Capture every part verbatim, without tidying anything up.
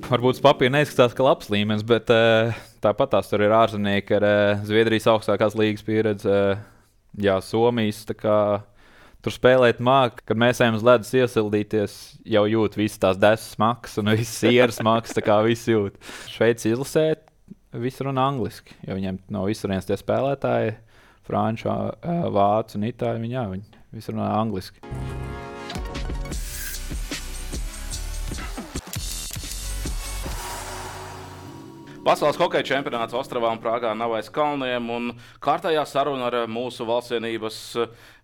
varbūt uz papīra neizskatās, ka labs līmenis, bet uh, tāpat tās tur ir ārzemnieki ar uh, Zviedrijas augstākās līgas pieredzi, uh, jā, Somijas. Kā, tur spēlēt māk, kad mēs ejam uz ledus iesildīties, jau jūt visas tās desas smakas un visas sieras smakas, tā kā viss jūt. Šveici izlasēt, visi runā angliski, jo viņiem no visurienes tie spēlētāji, franču, uh, vācu un itāļu, viņi, jā, viņi visi runā angliski. Pasaules hokeja čempionāts Ostravā un Prāgā nav aiz kalniem, un kārtējā saruna ar mūsu valstsienības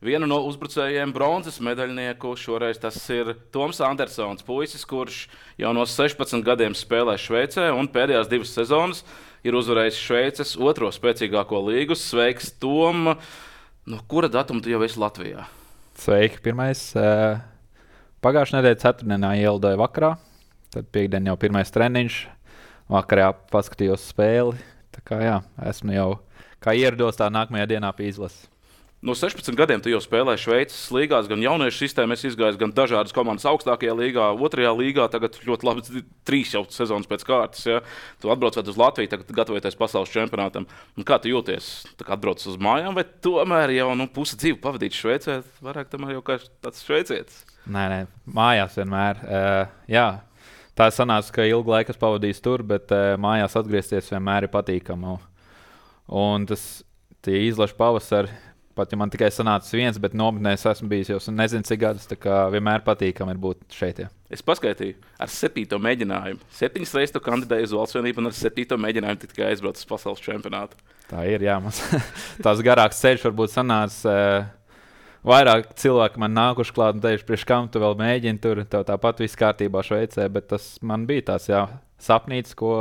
vienu no uzbrucējiem bronzas medaļnieku. Šoreiz tas ir Toms Andersons, puisis, kurš jau no sešpadsmit gadiem spēlē Šveicē, un pēdējās divas sezonas ir uzvarējis Šveices otro spēcīgāko līgu. Sveiks, Tom! No kura datuma tu jau esi Latvijā? Sveiki, pirmais. Pagājušajā nedēļā ceturtdienā ielidoju vakarā, tad piekdien jau pirmais treniņš. Vakarā paskatījos spēli. Tā kā jā, esmu jau kā ierados tā nākamajā dienā pie izlases. No sešpadsmit gadiem tu jau spēlēji Šveices līgās, gan jauniešu sistēmā izgājis, gan dažādas komandas augstākajā līgā, otrajā līgā. Tagad ļoti labi trīs jau sezonas pēc kārtas. Ja? Tu atbrauc uz Latviju, tagad gatavoties pasaules čempionātam. Un kā tu jūties? Tā kā atbrauc uz mājām, vai tomēr jau nu, pusi dzīvi pavadīt Šveicē? Vairāk tomēr jau kā tāds šveicietis. Nē, nē, mājās vienmēr. Uh, jā. Tā sanāca, ka ilgu laiku es pavadīju tur, bet uh, mājās atgriezties vienmēr ir patīkami. Un tas izlaša pavasari, pat ja man tikai sanācis viens, bet nometnēs esmu bijis jau nezinu cik gadus, tā kā vienmēr patīkami ir būt šeit. Jā. Es paskaitīju ar septīto mēģinājumu. Septiņas reizes tu kandidēji uz valstsvienību un ar septīto mēģinājumu tikai aizbrauc uz pasaules čempionātu. Tā ir, jā. Mums tās garāks ceļš varbūt sanāca. Uh, Vairāk cilvēki man nākuši klāt un teikuši, priekš kam tu vēl mēģini tur, tev tāpat viss kārtībā Šveicē, bet tas man bija tās jā, sapnīts, ko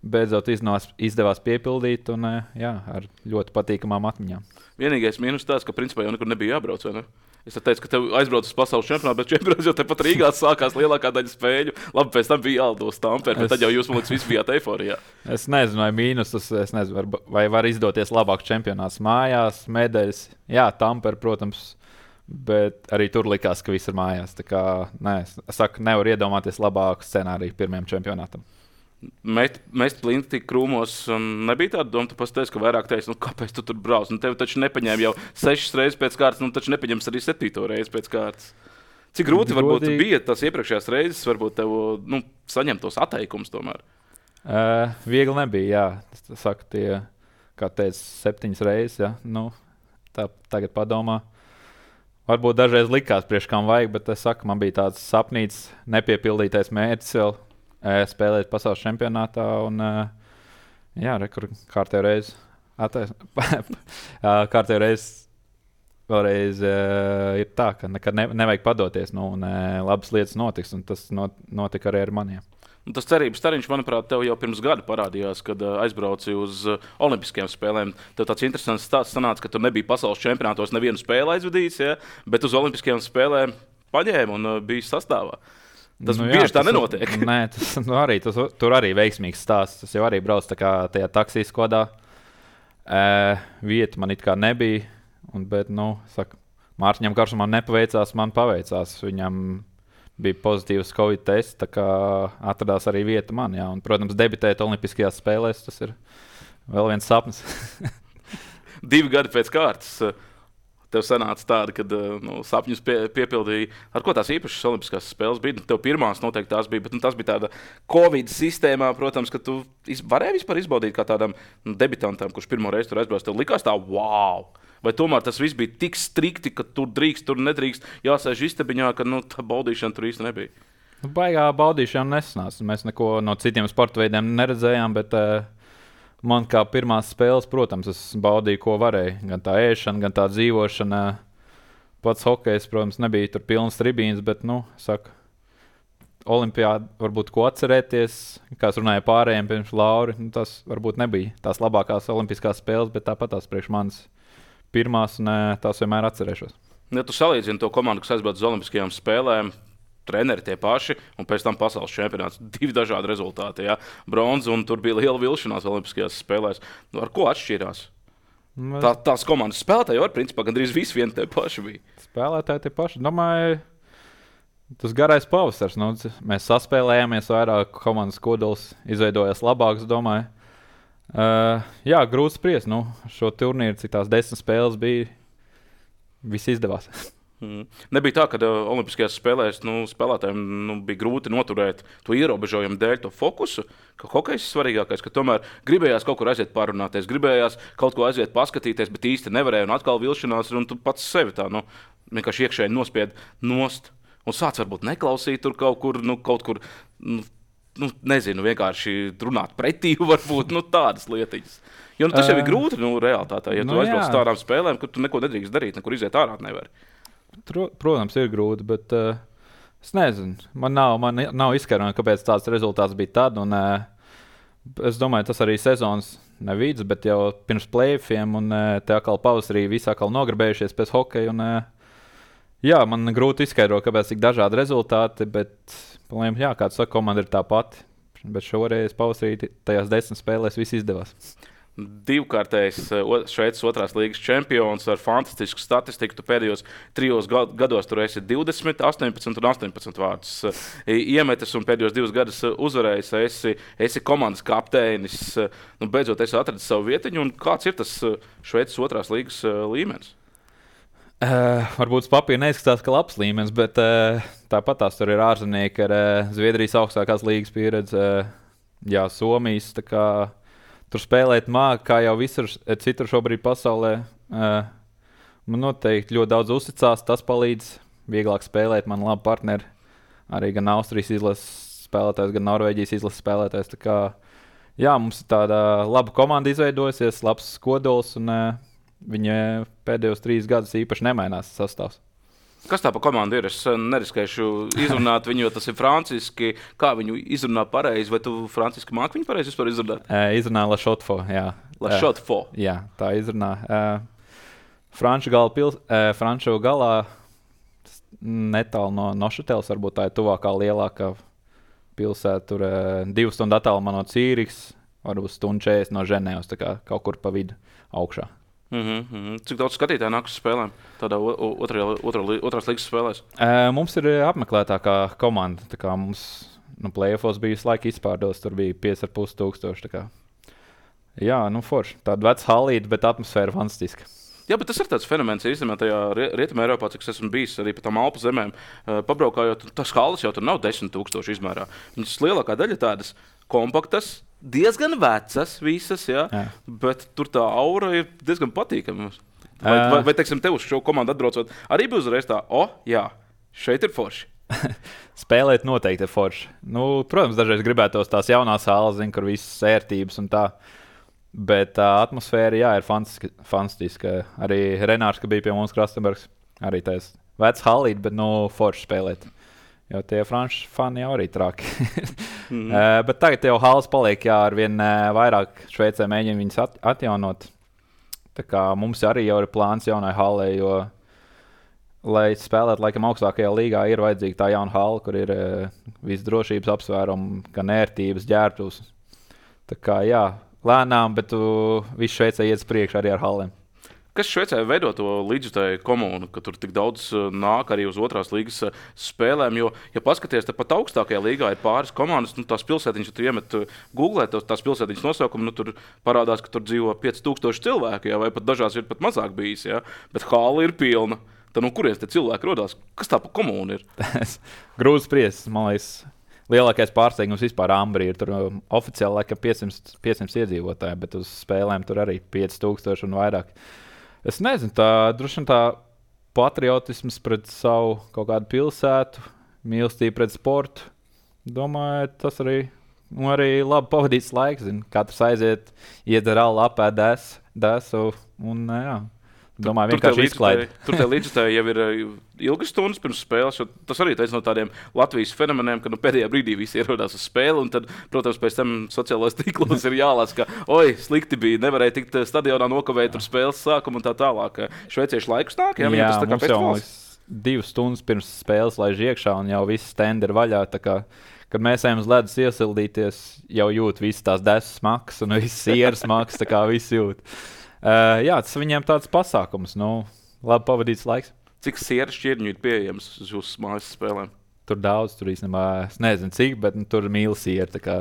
beidzot iznās, izdevās piepildīt un jā, ar ļoti patīkamām atmiņām. Vienīgais mīnus tās, ka principā jau nekur nebija jābrauc, vai ne? Es teicu, ka tev aizbrauc uz pasaules čempionātu, bet čempionāts jau tepat Rīgā sākās lielākā daļa spēļu. Labi, pēc tam bija jālido uz Tamperi, bet tad jau jūs, man liekas, visi bijāt eiforijā. Es nezinu, vai mīnus, es nezinu, var, vai var izdoties labāk čempionāts mājās, medaļas. Jā, Tamperi, protams, bet arī tur likās, ka viss ir mājās. Tā kā, nē, es saku, nevar iedomāties labāku scenāriju pirmajam čempionātam. Mest, mest plinti krūmos, un nebija tāda doma, tu pateici, ka vairāk teici, nu kāpēc tu tur brauc? Nu tevi taču nepaņēma jau sešas reizes pēc kārtas, nu taču nepaņems arī septīto reizi pēc kārtas. Cik grūti Godīgi. Varbūt bija tās iepriekšējās reizes, varbūt tev, nu, saņemt tos atteikumus tomēr? Uh, viegli nebija, jā. Es saku, tie, kā teicu, septiņas reizes, jā. Nu, tā tagad padomā. Varbūt dažreiz likās priekš kam vajag, bet es saku, man bija tāds sapnīts, nepiepildītais mērķis vēl. Spēlēt pasaules čempionātā un jā, rekur kārtējo reizi attais... kārtējo reizi vēlreiz ir tā, ka nekad ne, nevajag padoties, nu, un labas lietas notiks, un tas not, notika arī ar maniem. Un tas cerības stariņš, manuprāt, tev jau pirms gada parādījās, kad aizbrauci uz olimpiskajām spēlēm. Tev tāds interesants stāsts sanāca, ka tu nebija pasaules čempionātos nevienu spēli aizvadījis, ja? Bet uz olimpiskajām spēlēm paņēma un bija sastāvā. Tas nu, bieži jā, tā tas, nenotiek. Nē, tas, nu, arī, tas, tur arī veiksmīgs stāsts. Tas jau arī brauc tā kā tajā taksijas kodā. E, vieta man it kā nebija, un, bet, nu, saka, Mārtiņam Karsumam nepaveicās, man paveicās. Viņam bija pozitīvs Covid tests, tā kā atradās arī vieta man, jā. Un, protams, debitēt olimpiskajās spēlēs, tas ir vēl viens sapnis. Divi gadi pēc kārtas. Tev sanāca tāda, kad nu, sapņus pie, piepildīja. Ar ko tās īpašas olimpiskās spēles bija? Tev pirmās noteikti tās bija, bet nu, tas bija tāda Covid sistēmā, protams, ka tu iz, varēji vispār izbaudīt kā tādam nu, debitantam, kurš pirmo reizi tur aizbrauc. Tev likās tā, wow! Vai tomēr tas viss bija tik strikti, ka tur drīkst, tur nedrīkst, jāsēž istabiņā, ka nu, tā baudīšana tur īsti nebija? Nu, baigā baudīšana nesanāca. Mēs neko no citiem sporta veidiem neredzējām, bet... Uh... Man kā pirmās spēles, protams, es baudīju, ko varēju. Gan tā ēšana, gan tā dzīvošana. Pats hokejs, protams, nebija tur pilns tribīns, bet, nu, saka, olimpiāda varbūt ko atcerēties, kā es runāju pārējiem pirms Lauri, nu, tas varbūt nebija tās labākās olimpiskās spēles, bet tāpat tās priekš manas pirmās, un tās vienmēr atcerēšos. Ja tu salīdzini to komandu, kas aizbrauc uz olimpiskajām spēlēm, treneri tie paši, un pēc tam pasaules čempionāts. Divi dažādi rezultāti, jā. Bronza, un tur bija liela vilšanās olimpiskajās spēlēs. Nu, ar ko atšķirās? Mēs... Tā, tās komandas spēlētāji jau, principā, gandrīz visi vien tie paši bija. Spēlētāji tie paši. Domāju, Tas garais pavasars. Nu, mēs saspēlējāmies vairāk, komandas kodols izveidojās labāks, domāju. Uh, jā, grūti spriest. Nu, šo turnīru, cik tās desmit spēles bija, viss izdevās. Mm. Nebija tā, ka uh, Olimpiskajās spēlēs nu, spēlētājiem nu, bija grūti noturēt to ierobežojumu dēļ, to fokusu, ka hokejs ir svarīgākais, ka tomēr gribējās kaut kur aiziet pārunāties, gribējās kaut ko aiziet paskatīties, bet īsti nevarēja, un atkal vilšanās, un tu pats sevi tā, nu, vienkārši iekšēji nospied nost, un sāc varbūt neklausīt tur kaut kur, nu, kaut kur, nu, nu nezinu, vienkārši runāt pretī, varbūt, nu, tādas lietiņas. Jo nu, tas jau ir grūti, nu, realitātē, ja tu nu, aizbrauc tādām spēlēm, kur tu neko nedrīkst darīt, nekur iziet ārā nevari. Protams, ir grūti, bet uh, es nezinu. Man nav, man nav izskaidrojumi, kāpēc tāds rezultāts bija tad. Un, uh, es domāju, tas arī sezonas nevids, bet jau pirms play-offiem un uh, te atkal pavasarī visi atkal nogribējušies pēc hokeja. Un, uh, jā, man grūti izskaidrot, kāpēc tik dažādi rezultāti, bet, jā, kā tu saki, komanda ir tā pati. Bet šoreiz pavasarī tajās desmit spēlēs viss izdevās. Divkārtējs Šveices otrās līgas čempions ar fantastisku statistiku. Tu pēdējos trijos gados tur esi divdesmit, astoņpadsmit un astoņpadsmit vārdus iemetis un pēdējos divus gadus uzvarējis. Esi, esi komandas kapteinis. Nu, beidzot, esi atradis savu vietiņu. Un kāds ir tas Šveices otrās līgas līmenis? Uh, varbūt uz papīra neizskatās, ka labs līmenis, bet uh, tāpat tās tur ir ārzemnieki ar uh, Zviedrijas augstākās līgas pieredzi. Uh, jā, Somijas. Tā kā tur spēlēt māku, kā jau visur citur šobrīd pasaulē. Uh, man noteikti ļoti daudz uzticās, tas palīdz vieglāk spēlēt. Man labi partneri, arī gan Austrijas izlases spēlētājs, gan Norvēģijas izlases spēlētājs. Tā kā, jā, mums ir tāda laba komanda izveidojusies, labs kodols, un uh, viņa pēdējos trīs gadus īpaši nemainās sastāvs. Kas tā pa komandu ir? Es neriskēšu izrunāt viņu, jo tas ir franciski. Kā viņu izrunā pareizi? Vai tu franciski māki viņu pareizi vispār izrunāt? Uh, izrunā La Chaux-de-Fonds, jā. La Chaux-de-Fonds? Uh, jā, tā izrunā. Uh, Franču, gala pils, uh, Franču galā netālu no Nošateles, varbūt tā ir tuvākā lielākā pilsēta. Tur uh, divu stundu attālumā no Cīrikas, varbūt stundu četrdesmit no Ženēvas, tā kā kaut kur pa vidu augšā. Mm -hmm. Cik daudz skatītāju nāk uz spēlēm tādā otrajā, otrā, otrās līgas spēlēs? Uh, mums ir apmeklētākā komanda. Tā kā mums nu, play-offos bija visu laiku izpārdos, tur bija pieci ar pus tūkstoši. Jā, nu forši. Tāda veca halīte, bet atmosfēra fantastiska. Jā, bet tas ir tāds fenomens, īstenībā tajā Rietumē Eiropā, cik es esmu bijis arī pa tām Alpu zemēm, uh, pabraukājot, tas halas jau tur nav desmit tūkstoši izmērā. Viņas lielākā daļa tādas kompaktas, diezgan vecas visas, jā, jā. Bet tur tā aura ir diezgan patīkama. Vai, uh. vai, vai teiksim, tev uz šo komandu atbraucot, arī bija uzreiz tā, o, jā, šeit ir forši. Spēlēt noteikti ir forši. Nu, protams, dažreiz gribētos tās jaunās salas, zin, kur visas ērtības un tā. Bet tā uh, atmosfēra, jā, ir fantastiska. fantastiska. Arī Renārs, ka bija pie mums Krastenbergs, arī tās vecs halīt, bet nu forši spēlēt. Jo tie franču fani jau arī traki. mm. uh, bet tagad jau halas paliek, jā, ar vien uh, vairāk Šveicē mēģina viņas at atjaunot. Tā kā mums arī jau ir plāns jaunai halē, jo, lai spēlētu laikam augstākajā līgā, ir vajadzīga tā jauna hala, kur ir uh, viss drošības apsvērumi, gan ērtības, ģērbtuvs. Tā kā, jā, lēnām, bet uh, viss Šveicē iet priekš arī ar halēm. Kas Šveicē veido to līdzjutēju komunu, ka tur tik daudz nāk arī uz otrās līgas spēlēm? Jo, ja paskaties, tad pat augstākajā līgā ir pāris komandas, nu, tās pilsētiņas, ja tu iemet Googlē, tās pilsētiņas nosaukumu, nu, tur parādās, ka tur dzīvo pieci tūkstoši cilvēku, jā, vai pat dažās ir pat mazāk bijis, jā, bet hāla ir pilna. Tad no kurienes te cilvēki rodās? Kas tā pa komunu ir? Grūti spriest, man liekas. Lielākais pārsteigums vispār Ambrī ir tur um, oficiāli laikam piecsimt iedzīvotāji, bet uz spēlēm tur arī pieci tūkstoši un vairāk. Es nezinu, tā droši vien tā patriotisms pret savu kaut kādu pilsētu, mīlestība pret sportu. Domāju, tas arī, arī labi pavadīts laiks. Zin. Katrs aiziet, iedzer alu, apēd desu un jā. Domāju, vienkārši izklaidi. Tur tie līdzjutēji jau ir ilgas stundas pirms spēles. Tas arī ir no tādiem Latvijas fenomeniem, ka nu, pēdējā brīdī visi ierodās uz spēli. Un tad, protams, pēc tam sociālajos tīklos ir jālasa, ka oi, slikti bija, nevarēja tikt stadionā nokavēt tur spēles sākumu un tā tālāk. Šveicieši laikus nāk, jā, jā tas tā kā pēc valsts. Divas stundas pirms spēles laiž iekšā un jau viss stendi ir vaļā. Tā kā, kad mēs ejam uz ledus iesildīties, jau jūt visas tās desas smakas un visas sieras smakas, tā kā viss jūt. Uh, jā, tas viņiem tāds pasākums, nu, labi pavadīts laiks. Cik sieras šķirņu ir pieejams uz jūsu mājas spēlēm? tur daudz, tur īstenībā es nezinu cik, bet nu, tur mīlestība ir tā kā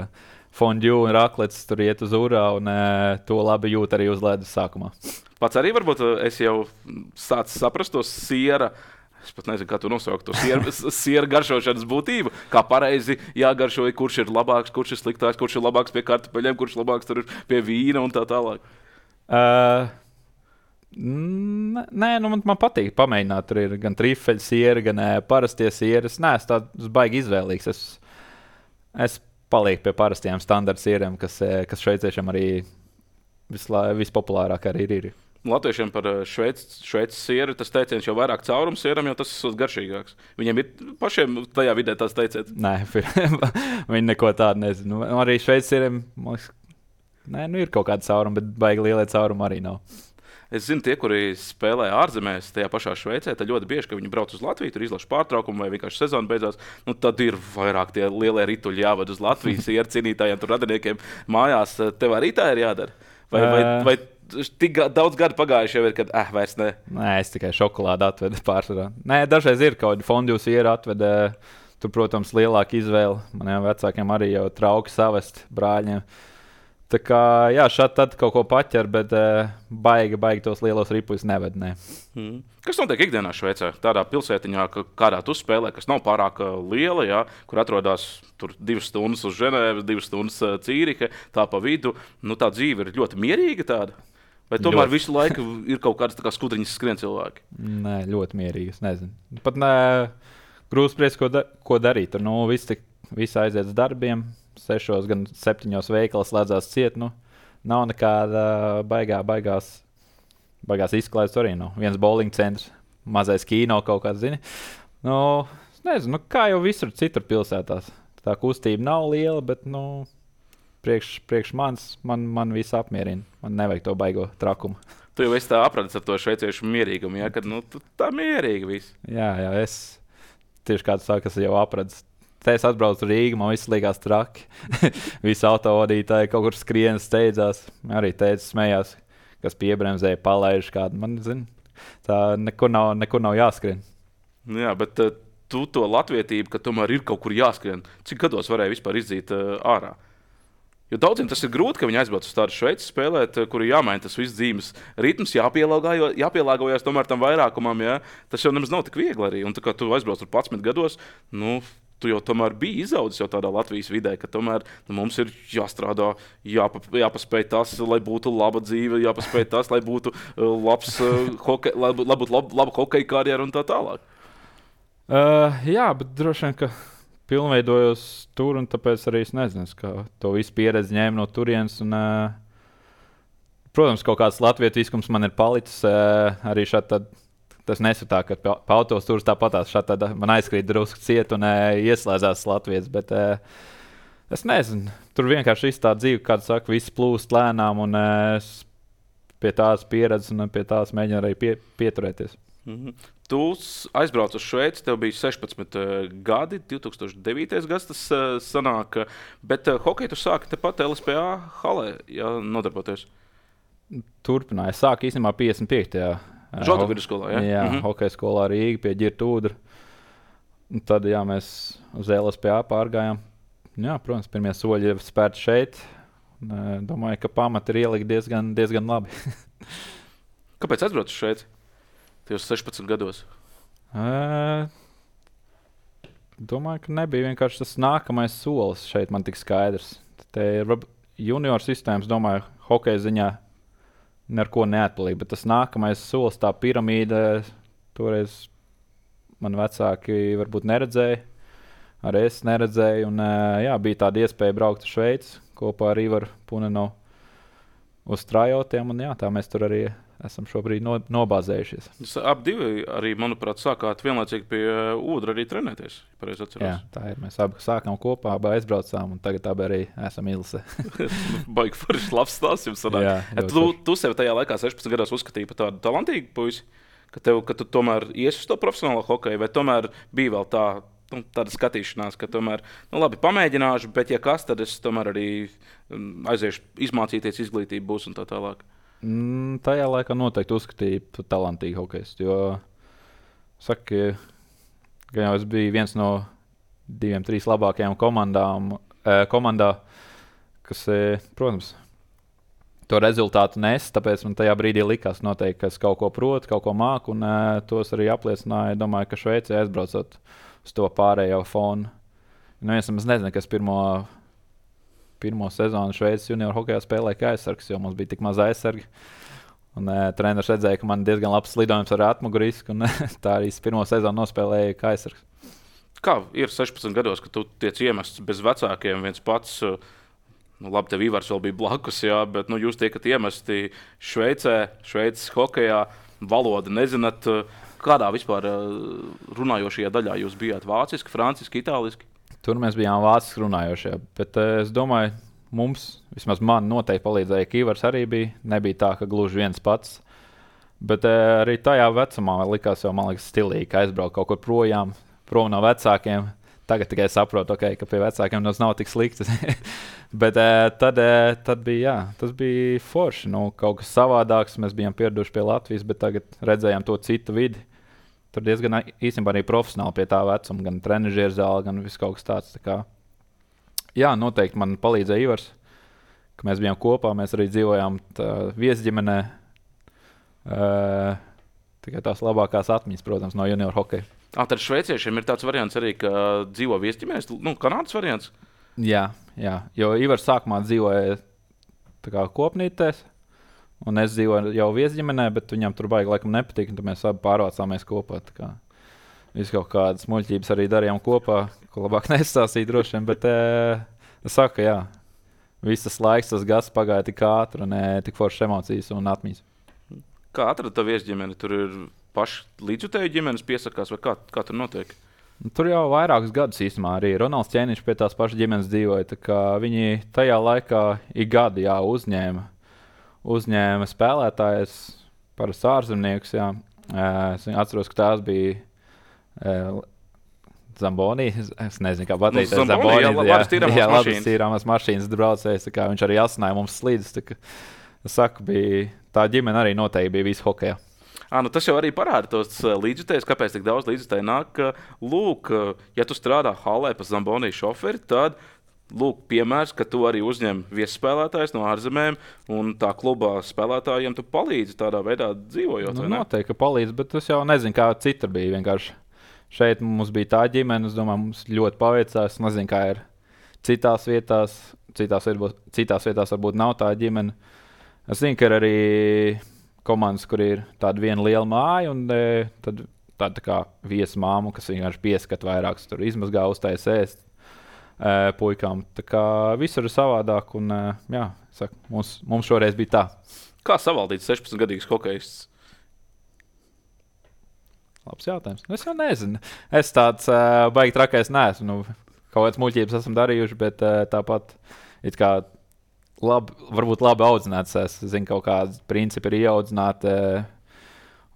fondue un raklets, tur iet uz urā, un uh, to labi jūt arī uz ledus sākumā. Pats arī varbūt es jau sācu saprast to siera. Es pat nezinu, kā tu nosaukt to siera, siera garšošanas būtību. Kā pareizi jāgaršo, kurš ir labāks, kurš ir sliktāks, kurš ir labāks pie kartupeļiem, kurš ir labāks tur pie vīna un tā tālāk. Uh, nē, nu man, man patīk pamēģināt. Tur ir gan trifeļu siera, gan uh, parastie sieri. Es neesmu tāds baigi izvēlīgs. Es, es palieku pie parastiem standarta sieriem, kas, kas šveiciešiem arī visla, vispopulārāk arī ir. Latviešiem par šveices sieru tas teiciens jau vairāk caurums sieram, jo tas ir garšīgāks. Viņiem ir pašiem tajā vidē tās teiciens. Nē, viņi neko tādu nezinu. Arī šveices sieriem, nē, nu ir kaut kāda cauruma, bet baigi lielie caurumi arī nav. Es zinu, tie, kuri spēlē ārzemēs, tajā pašā Šveicē, tad ļoti bieži, ka viņi brauc uz Latviju, tur izlaša pārtraukumu vai vienkārši sezona beidzās, nu tad ir vairāk tie lielie rituļi jāved uz Latvijas sieru cīnītājiem, tur radiniekiem mājās. Tev arī tā ir jādara? Vai, vai, vai tik daudz gadu pagājuši jau ir, kad eh, vairs ne? Nē, es tikai šokolādi atvedu pārsvarā. Nē, dažreiz ir kaut kāda fondue siera atvedu. Tur, protams, lielāka izvēle. Maniem vecākiem arī jau trauki savest brāļiem. Tā kā, jā, šādi tad kaut ko paķer, bet uh, baigi, baigi tos lielos ripuļus neved. Ne. Mm. Kas notiek ikdienā Šveicē? Tādā pilsētiņā, kādā tu spēlē, kas nav pārāk liela, jā, kur atrodas tur divas stundas uz Ženēvas, divas stundas uh, Cīrihe, tā pa vidu. Nu, tā dzīve ir ļoti mierīga tāda. Vai tomēr ļoti. Visu laiku ir kaut kādas kā skudriņas skrien cilvēki? Nē, ļoti mierīgi, es nezinu. Pat ne, grūti spriest, ko, da, ko darīt. Tur nu, visi, visi aiziet uz darbiem. Sešos, gan septiņos veikalos slēdzās ciet. Nu, nav nekāda baigā, baigās, baigās izklaides arī. Nu. Viens bowling centrs, mazais kino kaut kāds, zini. Nu, es nezinu, nu, kā jau visur citur pilsētās. Tā kustība nav liela, bet, nu, priekš, priekš manis, man, man viss apmierina. Man nevajag to baigo trakumu. Tu jau esi tā apradis ar to šveiciešu mierīgumu, ja? Kad, nu, tā mierīgi viss. Jā, jā, es tieši kāds saka, es jau apradis. Te es atbraucu uz Rīgu, man viss likās traki. Visi autovadītāji kaut kur skrien, steidzās. Arī teica, smējās, kas piebremzēja, palaiž kādu. Man, zin, tā nekur nav, nekur nav jāskrien. Jā, bet uh, tu to latvietību, ka tomēr ir kaut kur jāskrien. Cik gados varēja vispār izdzīt uh, ārā? Jo daudziem tas ir grūti, ka viņi aizbrauc uz tādu Šveici spēlēt, kur ir jāmaina tas viss dzīves ritms, jāpielāgojas tomēr tam vairākumam. Jā. Tas jau nemaz nav tik viegli arī. Un tā kā tu aizbrauc ar padsmit gados, nu, tu jau tomēr biji izaudzis jau tādā Latvijas vidē, ka tomēr nu, mums ir jāstrādā, jāpa, jāpaspēj tas, lai būtu laba dzīve, jāpaspēj tas, lai būtu uh, labs uh, hokej, lai būtu lab, laba hokeja karjera un tā tālāk. Uh, jā, bet droši vien, ka pilnveidojos tur, un tāpēc arī es nezinu, kā to visu pieredzi ņēmu no turienes. Un, uh, protams, kaut kāds latvietīskums man ir palicis uh, arī šādi tad. Tas nesatā, ka pa, pa autos tur tāpatās šādi man aizkrīt drusku ciet un uh, ieslēdzās Latvijas, bet uh, es nezinu. Tur vienkārši viss tā dzīve, kāds saka, viss plūst lēnām un uh, pie tās pieredzes un pie tās mēģinu arī pie, pieturēties. Mm-hmm. Tu aizbrauc uz Šveici, tev bija sešpadsmit uh, gadi, divi tūkstoši devītais gads tas uh, sanāk, bet uh, hokeju tu sāki tepat L S P A halē, ja nodarboties? Turpināju. Es sāku īstenībā piecdesmit piektajā Žoga vidusskolā, jā? Jā, mm-hmm. Hokeja skolā Rīga pie Ģirta Ūdra. Un tad, jā, mēs uz L S P A pārgājām. Jā, protams, pirmie soļi ir spērti šeit. Domāju, ka pamati ir ielikt diezgan, diezgan labi. Kāpēc aizbrauc uz Šveici? Tajos sešpadsmit gados? Uh, domāju, ka nebija vienkārši tas nākamais solis šeit man tik skaidrs. Te ir junior sistēmas, domāju, hokeja ziņā neko neatpalīja, bet tas nākamais solis, tā piramīda, toreiz man vecāki varbūt neredzēja, arī es neredzēju, un jā, bija tāda iespēja braukt uz Šveici kopā ar Ivaru Punenovu uz trajotiem, un jā, tā mēs tur arī esam šobrīd no, nobāzējušies. Jūs ap divi arī, manuprāt, sākāt vienlaicīgi pie Ūdra arī trenēties, pareizi atceros. Jā, tā ir. Mēs abi sākām kopā, abi aizbraucām, un tagad abi arī esam ilse. Baigi foršs, labs stāsts jums sanāk. Jā, ja, tu, tu sevi tajā laikā sešpadsmit gados uzskatīji par tādu talantīgu puisi, ka, tev, ka tu tomēr iesi uz to profesionālo hokeju, vai tomēr bija vēl tā, nu, tāda skatīšanās, ka tomēr, nu labi, pamēģināšu, bet ja kas, tad es tomēr arī aiziešu izmācīties, izglītību būs un tā tālāk. Mm, tajā laikā noteikti uzskatīju par talantīgu hokejistu, jo saka, ka jau es biju viens no diviem, trīs labākajām komandām, uh, komandā, kas, uh, protams, to rezultātu nes, tāpēc man tajā brīdī likās noteikti, ka es kaut ko protu, kaut ko māku, un uh, tos arī apliecināja. Domāju, ka Šveicē aizbraucot uz to pārējo fonu. Nu, es nezinu, kas pirmo, pirmo sezonu Šveices junior hokejā spēlēja kā aizsargs, jo mums bija tik maz aizsargi. Un uh, treneris redzēja, ka man diezgan labs lidojums ar atmugurisku, un tā arī pirmo sezonu nospēlēja kā aizsargs. Kā ir sešpadsmit gados, kad tu tiec iemests bez vecākiem viens pats? Nu, labi, tev Ivars vēl bija blakus, jā, bet nu, jūs tiekat iemesti Šveicē, Šveices hokejā, valodu nezināt. Kādā vispār runājošajā daļā jūs bijāt? Vāciski, franciski, itāliski? Tur mēs bijām vāciski runājošie, bet uh, es domāju, mums, vismaz man noteikti palīdzēja, ka Ivars arī bija. Nebija tā, ka gluži viens pats. Bet uh, arī tajā vecumā likās jau, man liekas, stilīgi, ka aizbraukt kaut kur projām, prom no vecākiem. Tagad tikai saprotu, okay, ka pie vecākiem tas nav tik slikti. Bet uh, tad, uh, tad bija, jā, tas bija forši. Nu, kaut kas savādāks, mēs bijām pieraduši pie Latvijas, bet tagad redzējām to citu vidi. Tur diezgan īstenībā arī profesionāli pie tā vecuma, gan trenižieru zāle, gan viss kaut kas tāds. Tā kā, jā, noteikti man palīdzēja Ivars, ka mēs bijām kopā, mēs arī dzīvojām viesģimenē. Uh, tikai tās labākās atmiņas, protams, no junior hokeja. Ah, tad šveiciešiem ir tāds variants arī, ka dzīvo viesģimenēs, nu, Kanādas variants? Jā, jā, jo Ivars sākumā dzīvoja tā kā kopnītēs, un es dzīvoju jau viesģimenē, bet viņam tur baigi laikam nepatīk, un tad mēs abi pārvācāmies kopā. Tā kā visu kaut kādas muļķības arī darījām kopā, ko labāk nestāstīt droši vien, bet e, es saku, jā, visas laiks, tas gads pagāja tik ātri un e, tik foršas emocijas un atmiņas. Kā atrada tā viesģimene? Tur ir paši līdzjutēju ģimenes piesakās, vai kā, kā tur notiek? Tur jau vairākus gadus īstenībā arī Ronalds Ķēniņš pie tās pašas ģimenes dzīvoja. Tā kā viņi tajā laikā ik gadu jā, uzņēma, uzņēma spēlētājus, parasti ārzemniekus. Jā. Es atceros, ka tās bija Zamboni. Es nezinu, kā pateikt. Nu, Zamboni, jā, labas tīrāmās jā, mašīnas. Jā, tīrāmās mašīnas braucējs. Viņš arī asināja mums slīdus. Es saku, bija, tā ģimene arī noteikti bija visu hokejā. À, nu tas jau arī parāda tos līdzjutējus, kāpēc tik daudz līdzjutēju nāk. Ka, lūk, ja tu strādā halē pa Zamboni šoferi, tad lūk, piemērs, ka tu arī uzņem viesspēlētājus no ārzemēm un tā klubā spēlētājiem tu palīdzi tādā veidā dzīvojot. Nu, noteikti, ka palīdzi, bet es jau nezinu, kā citur bija. Vienkārši šeit mums bija tā ģimene, es domāju, mums ļoti paveicās. Es nezinu, kā ir citās vietās. Citās, citās vietās varbūt nav tā ģimene. Es zinu, ka ir arī komandas, kur ir tāda viena liela māja, un e, tad tāda tā kā viesmāmu, kas vienkārši pieskat vairākus, tur izmazgā, uztais ēst e, puikām. Tā kā visur ir savādāk, un e, jā, saku, mums, mums šoreiz bija tā. Kā savaldīt sešpadsmitgadīgs hokejists? Labs jautājums. Es jau nezinu. Es tāds uh, baigi trakais neesmu. Nu, kaut kāds muļķības esam darījuši, bet uh, tāpat it kā Labi, varbūt labi audzināts. Es zinu, kaut kādi principi ir ieaudzināti.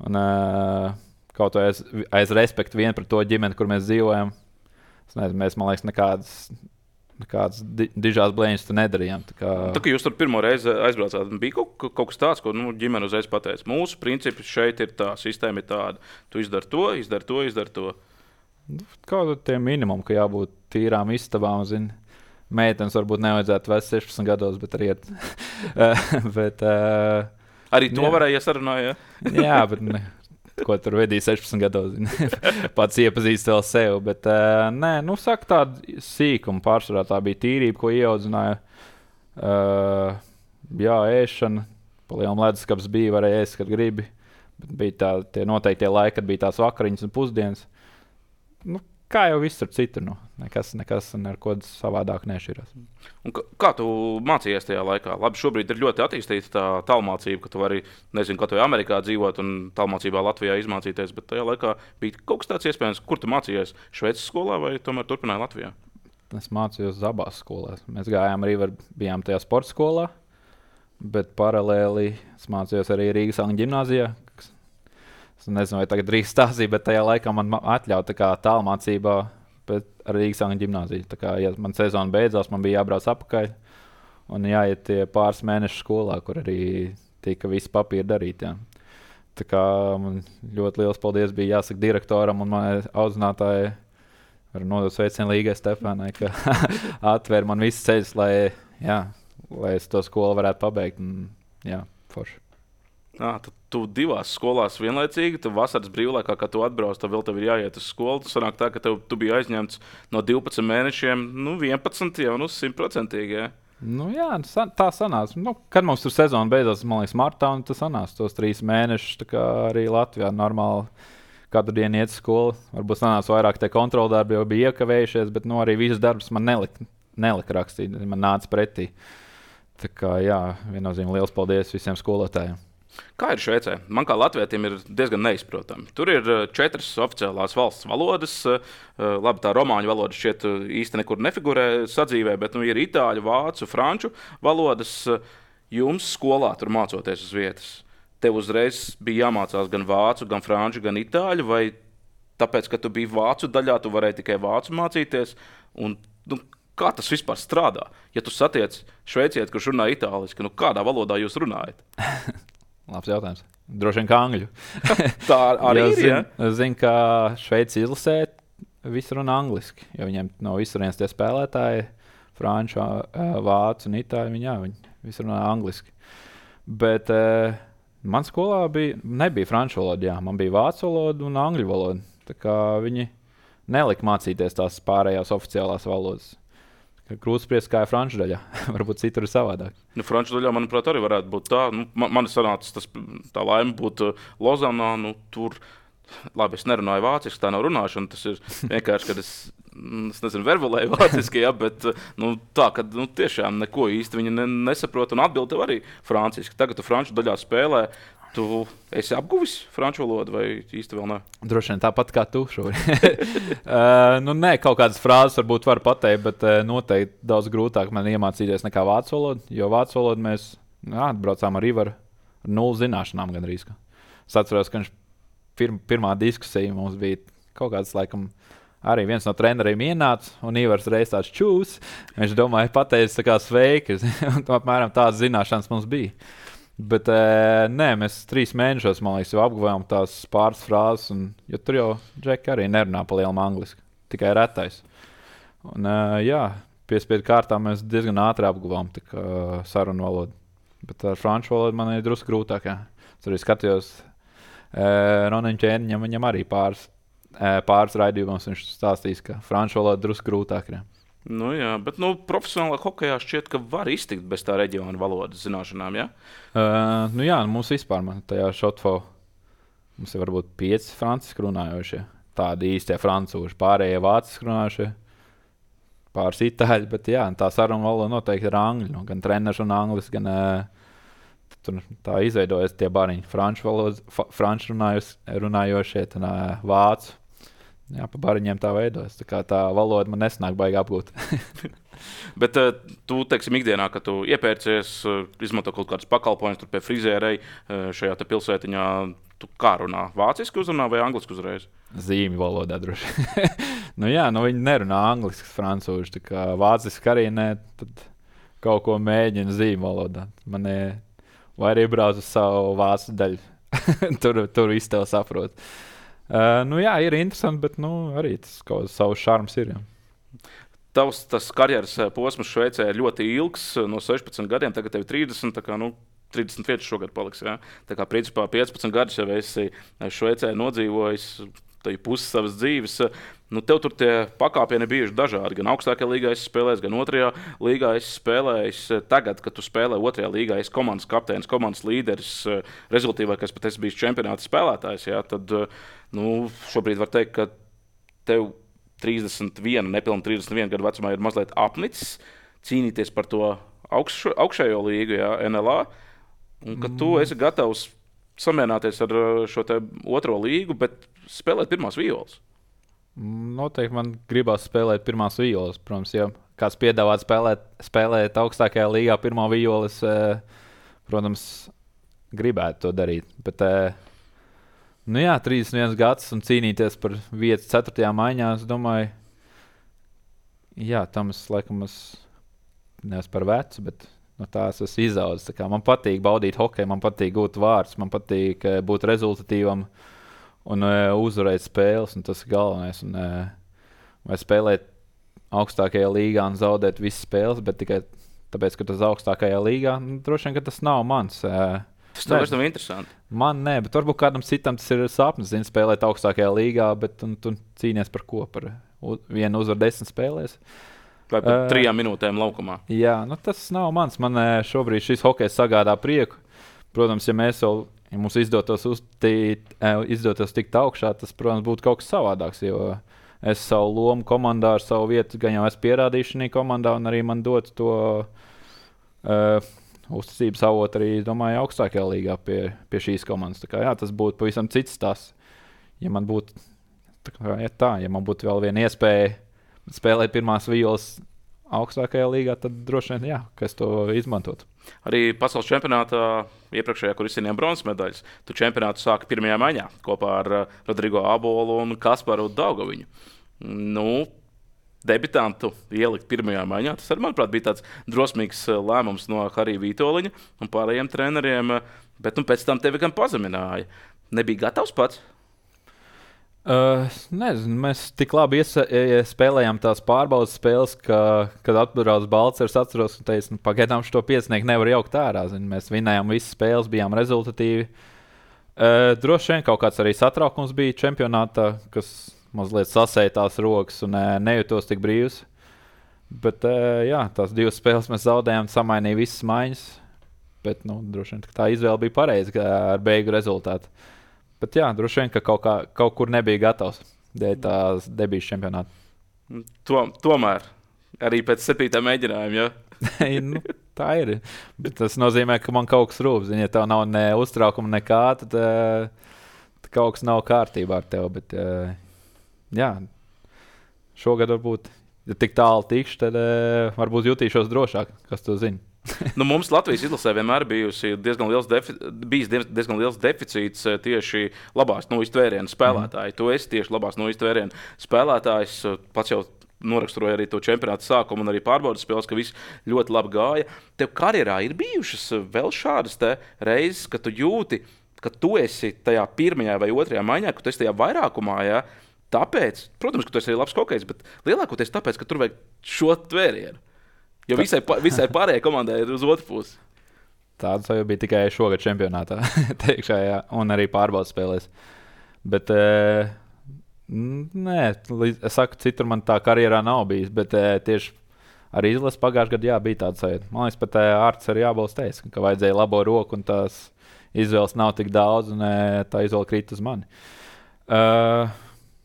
Un uh, kaut vai aiz, aiz respektu vien par to ģimeni, kur mēs dzīvojam. Es nezinu, mēs, man liekas, nekādas, nekādas di dižās blēņas tu nedarījām. Tā kā... Tā kā jūs tur pirmo reizi aizbraucāt, bija kaut, kaut kas tāds, ko nu, ģimene uzreiz pateica. Mūsu principi šeit ir tā, sistēma ir tāda. Tu izdari to, izdari to, izdari to. Kaut tie minimumi, ka jābūt tīrām istabām, zini. Meitenes varbūt nevajadzētu vēl sešpadsmit gados, bet arī ir. bet, uh, arī to jā. Varēja iesarunāt, ja? Jā, bet ne, ko tur vedīja sešpadsmit gados. Pats iepazīst vēl sev. Bet, uh, nē, nu, saka tādu sīkumu pārsvarā. Tā bija tīrība, ko ieaudzināja. Uh, jā, ēšana. Pa lielam leduskapis bija, varēja ēst, kad gribi. Bet bija tā, tie noteiktie laiki, kad bija tās vakariņas un pusdienas. Nu, kā jau viss tur citur, nu. Nekas, nekas ar ko savādāk nešķirās. Un kā tu mācījies tajā laikā? Labi, šobrīd ir ļoti attīstīta tā tālmācība, ka tu vari, nezinu, kā tu Amerikā dzīvot un tālmācībā Latvijā izmācīties, bet tajā laikā bija kaut kas tāds iespējams, kur tu mācījies Šveices skolā vai tomēr turpināji Latvijā? Es mācījos abās skolās. Mēs gājām arī, var, bijām tajā sporta skolā, bet paralēli es mācījos arī Rīgas Angļu ģimnāzijā. Es nezinu, vai tagad drīkst stāstīt, bet tajā laikā man atļauja tā kā tālmācībā, bet ar Rīgas Angļu ģimnāziju. Tā kā, ja man sezona beidzās, man bija jābrauc apakaļ un jāiet tie pāris mēneši skolā, kur arī tika visi papīri darīt. Jā. Tā kā man ļoti liels paldies bija jāsaka direktoram un manai audzinātājai Varu nodot sveicienu Līgai Stefānai, ka atver man visus ceļus, lai, jā, lai es to skolu varētu pabeigt. Un, jā, forši. Jā, tad tu divās skolās vienlaicīgi, tu vasaras brīvlaikā, kā tu atbrauc, tad vēl tev ir jāiet uz skolu. Tas sanāk tā, ka tev, tu biji aizņemts no divpadsmit mēnešiem, nu vienpadsmit jau, nu simtprocentīgi, jā. Nu jā, tā sanāca. Nu, kad mums tur sezona beidzās, man liekas, martā, un tas sanāca tos trīs mēnešus, tā kā arī Latvijā normāli katru dienu iet uz skolu. Varbūt sanāca vairāk tie kontroldarbi, jo bija iekavējušies, bet nu, arī visas darbus man nelika, nelika rakstīt, man nāca pretī. Tā kā jā, viennozīmīgi liels paldies visiem skolotājiem. Kā ir Šveicē? Man kā latvietim ir diezgan neizprotami. Tur ir četras oficiālās valsts valodas. Labi, tā romāņu valoda šķiet īsti nekur nefigurē sadzīvē, bet nu, ir itāļu, vācu, franču valodas. Jums skolā tur mācoties uz vietas. Tev uzreiz bija jāmācās gan vācu, gan franču, gan itāļu, vai tāpēc, ka tu biji vācu daļā, tu varēji tikai vācu mācīties? Un, nu, kā tas vispār strādā? Ja tu satiec šveicieti, kurš runā itāliski, nu kādā valodā jūs runājat? Labs jautājums. Droši vien kā angļu. Tā arī ir, ja? Es zinu, ka Šveici izlasē visi runā angliski, jo viņiem no visurienes tie spēlētāji, franču, vācu un itāļu, viņi, jā, viņi visi runā angliski. Bet eh, man skolā bija, nebija franču valoda, jā, man bija vācu valoda un angļu valoda. Tā kā viņi nelika mācīties tās pārējās oficiālās valodas. Grūti spriest, kā ir franču daļā. Varbūt citur ir savādāk. Nu, franču daļā, manuprāt, arī varētu būt tā. Nu, man, man sanāca tas, tā laime būt Lozanā. Nu, tur, labi, es nerunāju vāciski, tā nav runāšana. Tas ir vienkārši, kad es, es nezinu, verbulēju vāciski, ja, bet nu, tā, ka nu, tiešām neko īsti viņi ne, nesaprot un atbild tev arī franciski. Tagad tu franču daļā spēlē. Tu esi apguvis franču valodu vai īsti vēl ne? Droši vien tāpat kā tu šobrīd. uh, nu, nē, kaut kādas frāzes varbūt var pateikt, bet uh, noteikti daudz grūtāk man iemācīties nekā vācu valodu, jo vācu valodu mēs jā, atbraucām arī ar nulli zināšanām gandrīz. Es atceros, ka viņš pir, pirmā diskusija mums bija kaut kāds, laikam, arī viens no treneriem ienāca, un Ivars reiz tāds čūs. Viņš domāja, pateicis tā kā sveiki, un apmēram tādas zināšanas mums bija. Bet e, nē, mēs trīs mēnešos, man liekas, jau apguvējām tās pāris frāzes, un, jo tur jau Džeki arī nerunā pa lielam angliski, tikai retais. Un e, jā, piespiedu kārtā mēs diezgan ātri apguvām tā kā sarunu valodu. Bet ar franču valodu man ir drusku grūtāk, jā. Es arī skatījos e, Roneņu ķēniņam, viņam arī pāris, e, pāris raidījumos viņš stāstīs, ka franču valoda drusku grūtāk, jā. Nu, jā, bet nu, profesionālā hokejā šķiet, ka var iztikt bez tā reģiona valodas zināšanām, jā? Uh, nu jā, mums vispār man tajā šotfo mums ir varbūt pieci franciski runājošie. Tādi īstie francūži, pārējie vāciski runājošie, pāris itāļi, bet jā, tā saruna valoda noteikti ir angļu. Nu, gan treneris un anglis, gan uh, tur tā izveidojas tie bariņi. Franču valodas, franču runājošie, tad uh, vācu. Jā, pa bariņiem tā veidojas. Tā kā tā valoda man nesnāk baigi apgūt. Bet uh, tu, teiksim, ikdienā, kad tu iepērcies, uh, izmanto kaut kādus pakalpojumus, tur pie frizērei uh, šajā te pilsētiņā, tu kā runā? Vāciski uzrunā vai angliski uzreiz? Zīmju valodā droši. nu jā, nu viņi nerunā angliski, francūži, tā kā vāciski arī ne, tad kaut ko mēģina zīmju valodā. Man ir, vai arī brauc uz savu vācu daļu. tur, tur viss tev saprot. Uh, nu jā, ir interesanti, bet nu, arī tas kaut kāds savs šarms ir. Jā. Tavs tas karjeras posms Šveicē ir ļoti ilgs, no sešpadsmit gadiem, tagad tev ir trīsdesmit, tā kā nu, trīsdesmit pieci šogad paliks. Jā. Tā kā principā piecpadsmit gadus jau esi Šveicē nodzīvojis, tā ir pusi savas dzīves. Nu, tev tur tie pakāpieni bijuši dažādi. Gan augstākajā līgā esi spēlējis, gan otrajā līgā esi spēlējis. Tagad, kad tu spēlē otrajā līgā, esi komandas kapteinis, komandas līderis, rezultīvākais pat esi bijis čempionāta spēlētājs. Jā, tad nu, šobrīd var teikt, ka tev trīsdesmit viens, nepilni trīsdesmit viens gadu vecumā ir mazliet apnicis cīnīties par to augš, augšējo līgu, jā, N L A, un ka tu esi gatavs samierināties ar šo te otro līgu, bet spēlēt pirmās violas. Noteikti man gribās spēlēt pirmās violas. Protams, ja kāds piedāvāt spēlēt, spēlēt augstākajā līgā pirmā violas, protams, gribētu to darīt. Bet, nu jā, trīsdesmit viens gads un cīnīties par vietu ceturtajā maiņā, es domāju, jā, tam es laikam es nevis par vecu, bet no tās es izaudzis. Tā kā man patīk baudīt hokeju, man patīk gūt vārdus, man patīk būt rezultatīvam un uh, uzvarēt spēles, un tas ir galvenais. Un, uh, vai spēlēt augstākajā līgā un zaudēt visas spēles, bet tikai tāpēc, ka tas augstākajā līgā, nu, droši vien, ka tas nav mans. Tas tev vairs nav interesanti. Man nē, bet varbūt kādam citam tas ir sapnis, zin, spēlēt augstākajā līgā, bet tu, tu cīnies par ko? Par vienu uzvaru desmit spēlēs. Vai par uh, trijām minūtēm laukumā. Jā, nu tas nav mans. Man šobrīd šis hokejs sagādā prieku. Protams, ja mēs vēl, ja mums izdotos, uztīt, izdotos tikt augšā, tas, protams, būtu kaut kas savādāks, jo es savu lomu komandā ar savu vietu gan jau esmu pierādījis šajā komandā, un arī man dot to uh, uzticības avotu arī, domāju, augstākajā līgā pie, pie šīs komandas. Tā kā, jā, tas būtu pavisam cits tās. Ja man būtu tā, kā, ja tā, ja man būtu vēl viena iespēja spēlēt pirmās violas augstākajā līgā, tad droši vien, jā, ka es to izmantotu. Arī pasaules čempionātā iepriekšējā, kur izcīnījām bronzas medaļas, tu čempionātu sāki pirmajā maiņā kopā ar Rodrigo Abolu un Kasparu Daugaviņu. Nu, debitantu ielikt pirmajā maiņā, tas arī, manuprāt, bija tāds drosmīgs lēmums no Harija Vītoliņa un pārējiem treneriem, bet nu, pēc tam tevi gan pazemināja. Nebija gatavs pats? Uh, nezinu, mēs tik labi iesa, spēlējām tās pārbaudas spēles, ka, kad atbrauc Balcers, atceros, un teicu, nu, pagaidām šo piecinieku nevar jaukt ārā. Zin, mēs vinējām visas spēles, bijām rezultatīvi. Uh, droši vien kaut kāds arī satraukums bija čempionātā, kas mazliet sasēja tās rokas un uh, nejūtos tik brīvs. Bet uh, jā, tās divas spēles mēs zaudējām, samainīja visas maiņas. Bet nu, droši vien tā izvēle bija pareiza ar beigu rezultātu. Bet jā, droši vien, ka kaut, kā, kaut kur nebija gatavs dēļ tās debijas čempionāta. To, tomēr arī pēc septītā mēģinājuma, ja? nu, tā ir. Bet tas nozīmē, ka man kaut kas rūp. Zin, ja tev nav ne uztraukuma nekā, tad, tad kaut kas nav kārtībā ar tevi. Bet jā, šogad varbūt, ja tik tālu tikšu, tad varbūt jutīšos drošāk, kas to zina. Nu, mums Latvijas izlasē vienmēr bijusi diezgan liels, defi bijis diezgan liels deficīts tieši labās nojas tvērienu spēlētāji. Mm. Tu esi tieši labās nojas tvērienu spēlētājs. Pats jau noraksturoja arī to čempionāta sākumu un arī pārbaudas spēles, ka viss ļoti labi gāja. Tev karjerā ir bijušas vēl šādas te reizes, ka tu jūti, ka tu esi tajā pirmajā vai otrajā maiņā, ka tu esi tajā vairākumā, ja? Tāpēc, protams, ka tu esi arī labs hokejs, bet lielākoties tāpēc, ka tur vajag šo tvērienu. Jo visai, visai pārējai komandai ir uz otru pusi. Tāds jau bija tikai šogad čempionātā, teikšā, jā, un arī pārbaudas spēlēs. Bet, e, nē, es saku, citur man tā karjerā nav bijis, bet e, tieši arī izlases pagājušajā gadā jā, bija tāds sajūta. Man liekas, pat Ārts arī jābalst teica, ka vajadzēja labo roku, un tās izvēles nav tik daudz, un e, tā izvēle krīt uz mani. Uh,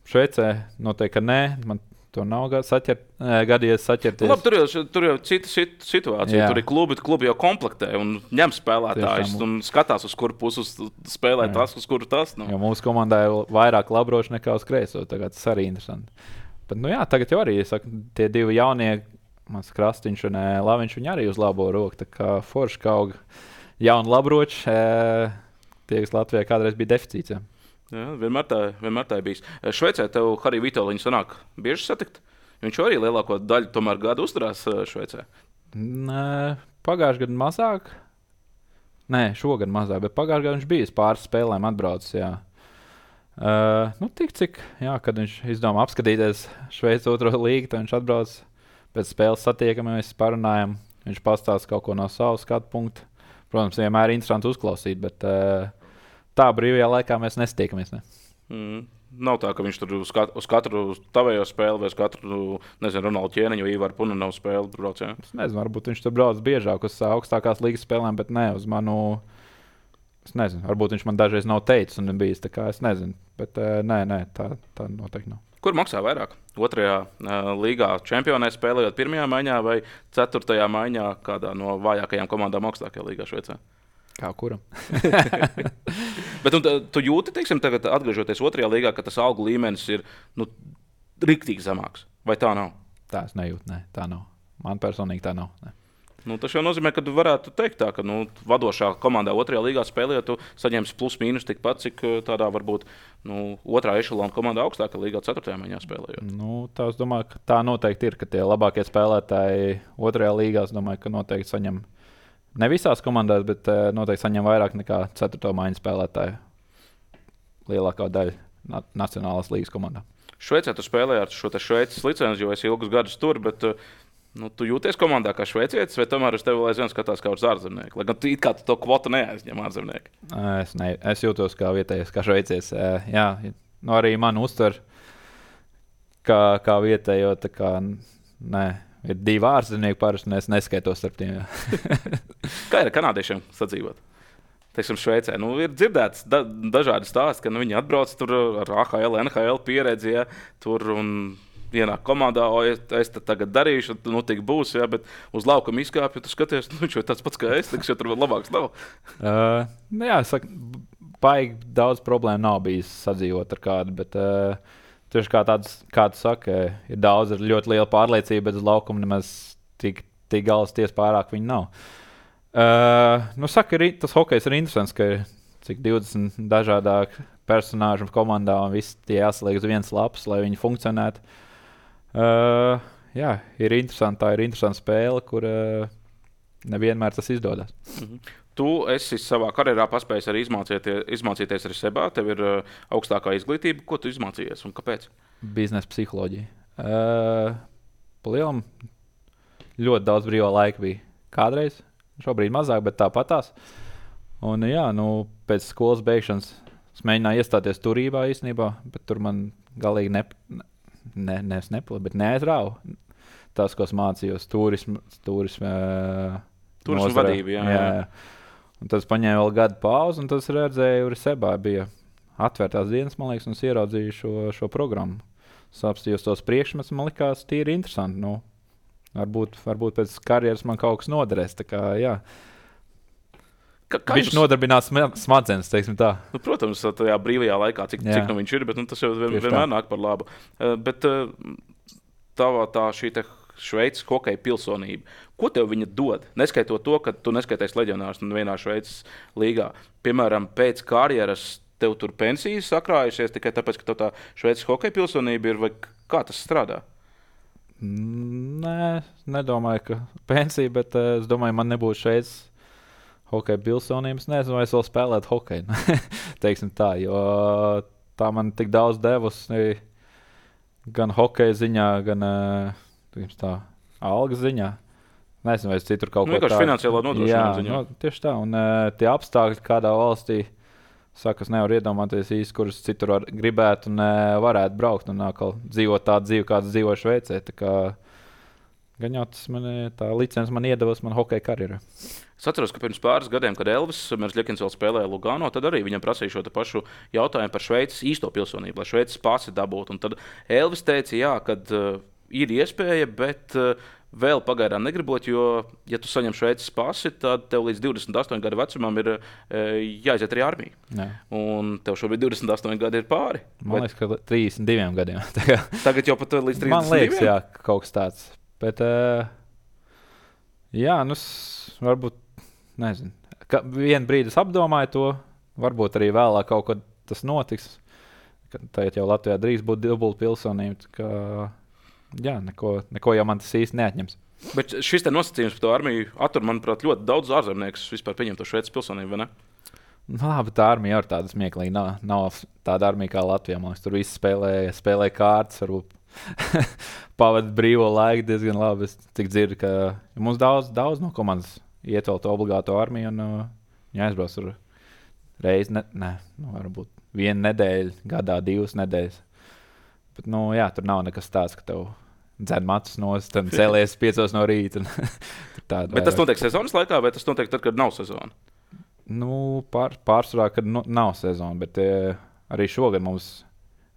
Šveicē noteikti, ka nē, man to nav saķert, gadījies saķerties. Nu, labi, tur, jau, tur jau cita situācija. Jā. Tur ir klubi, klubi jau komplektē un ņem spēlētājus un skatās, uz kuru pusi spēlē jā. Tas, uz kuru tas. Nu. Jo mūsu komandā ir vairāk labroši nekā uz kreiso. Tagad tas arī interesanti. Bet, nu jā, tagad jau arī, saku, tie divi jaunie, mans Krastiņš un Laviņš, viņi arī uz labo roku. Tā kā forši kaut jauni labroči, tie, kas Latvijā kādreiz bija deficīts. Jā. Jā, vienmēr tā, vienmēr tā ir bijis. Šveicē tev Hariju Vītoliņu sanāk bieži satikt? Viņš arī lielāko daļu tomēr gadu uzturās Šveicē. Nē, pagājušajā gadā mazāk. Nē, šogad mazāk, bet pagājušajā gadā viņš bija pāris spēlēm atbraucis. Jā. Uh, nu, tik cik, jā, kad viņš izdomā apskatīties Šveices otro līgu, tad viņš atbrauc pēc spēles satiekamies, parunājam. Viņš pastāsta kaut ko no savas skatu punkta. Protams, vienmēr ir interesanti uzklausīt, bet uh, tā brīvajā laikā mēs nestiekamies. Ne? Mm. Nav tā, ka viņš tur uz katru, uz katru tavējo spēli vai uz katru, nezinu, Ronaldu Ķēniņu vai Ivaru Punanovу spēli brauc, jā? Es nezinu, varbūt viņš tur brauc biežāk uz augstākās līgas spēlēm, bet ne uz manu, es nezinu, varbūt viņš man dažreiz nav teicis un bijis, tā kā es nezinu, bet nē, nē, tā, tā noteikti nav. Kur maksā vairāk? Otrajā uh, līgā čempionē spēlējot pirmajā maiņā vai ceturtajā maiņā kādā no vājākajām komandām augstākajā līgā Šveicē? Kā kuram? Bet tu, tu jūti, teiksim, tagad atgriežoties otrajā līgā, ka tas algu līmenis ir nu, riktīgi zemāks, vai tā nav? Tā es nejūtu, ne, tā nav. Man personīgi tā nav. Ne. Nu, tas jau nozīmē, ka tu varētu teikt tā, ka nu, vadošā komandā otrajā līgā spēlējot, tu saņemsi plus mīnus tikpat, cik tādā varbūt nu, otrā ešalona komandā augstākā līgā ceturtajā maiņā spēlējot. Nu, tā es domāju, ka tā noteikti ir, ka tie labākie spēlētāji otrajā līgā, es domāju, ka noteikti saņem ne visās komandās, bet uh, noteikti saņem vairāk nekā ceturto maiņu spēlētāju lielākā daļa na- Nacionālās līgas komandā. Šveicē tu spēlēji ar šo Šveices licenci, jo esi ilgus gadus tur, bet nu, tu jūties komandā kā šveicietis, vai tomēr uz tevi vēl aizvien skatās kā uz ārzemnieku? Lai gan tu it kā tu to kvotu neaizņem ārzemnieki. Es, ne, es jūtos kā vietējais, kā šveicietis. Jā, nu, arī man uztver kā, kā vietējo, tā kā, nē, ir divi ārzemnieki parasti, un es neskaitos starp tiem. Kā ir ar kanādiešiem sadzīvot? Teiksim, Šveicē. Nu, ir dzirdēts da, dažādi stāsti, ka nu, viņi atbrauc tur ar A H L, N H L pieredzi, ja, tur un ienāk komandā, o, es, es tagad darīšu, nu, tik būs, ja, bet uz laukuma izkāpju, tu skaties, nu, viņš jau tāds pats kā es, tiks, jo tur vēl labāks nav. Uh, nu jā, es saku, baigi daudz problēmu nav bijis sadzīvot ar kādu, bet uh, tieši kā tāds, kā tu saki, ir daudz, ir ļoti liela pārliecība, bet uz laukuma nemaz tik, tik galas ties pārāk viņi nav. Uh, nu, saka, ir, tas hokejs ir interesants, ka ir cik divdesmit dažādāki personāži komandā un viss tie jāsaliek uz vienas lapas, lai viņi funkcionētu. Uh, jā, ir interesanti, tā ir interesanta spēle, kur uh, nevienmēr tas izdodas. Mhm. Tu esi savā karjerā paspējis arī izmācīties, izmācīties arī sebā, tev ir uh, augstākā izglītība. Ko tu izmācījies un kāpēc? Biznesa psiholoģija. Uh, Palielam ļoti daudz brīvā laika bija kādreiz. Šobrīd mazāk, bet tāpatās. Un, jā, nu, pēc skolas beigšanas es mēģināju iestāties turībā īstenībā, bet tur man galīgi ne, ne, ne, nepalika, bet neaizrāva. Tas, ko es mācījos, turismu, turismu, turismu vadību, jā, jā. jā. Un tad es paņēmu vēl gadu pauzi, un tas redzēju, arī sebā bija atvērtās dienas, man liekas, un es ieraudzīju šo, šo programmu. Sapstījos tos priekšmetus, man likās tīri interesanti. Nu, Varbūt, varbūt pēc karjeras man kaut kas noderēs. Kā, Ka, viņš jums... nodarbinās smadzenes, teiksim tā. Nu, protams, tajā brīvajā laikā, cik, cik nu viņš ir, bet nu, tas jau vien, vienmēr nāk par labu. Uh, bet uh, tavā tā šī te Šveices hokeja pilsonība, ko tev viņa dod? Neskaitot to, ka tu neskaities leģionārs vienā Šveices līgā. Piemēram, pēc karjeras tev tur pensijas sakrājusies tikai tāpēc, ka tev tā Šveices hokeja pilsonība ir, vai kā tas strādā? Nē, nedomāju, ka pensija, bet uh, es domāju, man nebūtu šeit hokeja pilsonības. Nezinu, vai es vēl spēlētu hokeju. Teiksim tā, jo tā man tik daudz devusi gan hokeja ziņā, gan uh, tā, algas ziņā. Nezinu, vai es citur kaut nu, ko tādu. Finansiālā nodrošinājuma ziņā. No, tieši tā, un uh, tie apstākļi kādā valstī, saka, es nevaru iedomāties īsti, kuras citur var, gribētu un uh, varētu braukt un atkal dzīvot tādu dzīvi, kāds dzīvo Šveicē. Tā kā gan jau tas man, tā licence man iedevusi man hokeja karjerā. Es atceros, ka pirms pāris gadiem, kad Elvis Merzlikins vēl spēlēja Lugano, tad arī viņam prasīja šo pašu jautājumu par Šveices īsto pilsonību, lai Šveices pasi dabūtu. Un tad Elvis teica, jā, kad uh, ir iespēja, bet uh, vēl pagaidām negribot, jo, ja tu saņem Šveices pasi, tad tev līdz divdesmit astoņu gadu vecumam ir e, jāiziet arī armija. Jā. Un tev šobrīd divdesmit astoņi gadi ir pāri. Man liekas, ka trīsdesmit diviem gadiem. Tagad jau pat līdz trīsdesmit diviem? Man liekas, jā, kaut kas tāds. Bet, uh, jā, nu, varbūt, nezinu. Ka vienu brīdi es apdomāju to, varbūt arī vēlāk kaut kad tas notiks. Tagad jau Latvijā drīz būt dubulta pilsonība, ka... Jā, neko, neko jau man tas īsti neatņems. Bet šis te nosacījums par to armiju attur, manuprāt, ļoti daudz ārzemniekus vispār pieņem to Šveices pilsonību, vai ne? Nu, labi, tā armija ir tāda smieklīga. Nav, nav tāda armija kā Latvijā. Man liekas, tur viss spēlē, spēlē kārtas, varbūt pavadīt brīvo laiku diezgan labi. Es tik dzirdu, ka mums daudz, daudz no komandas iet vēl to obligāto armiju un uh, jāizbrauc tur reizi, ne, ne, nu, varbūt vienu nedēļu, gadā divas nedēļas. Bet, nu, jā, tur nav nekas tāds, ka tev dzen matus nost, tad cēlies piecos no rīta. Bet vairāk. Tas notiek sezonas laikā, vai tas notiek tad, kad nav sezona? Nu, pār, pārsvarā, kad nu, nav sezona, bet e, arī šogad mums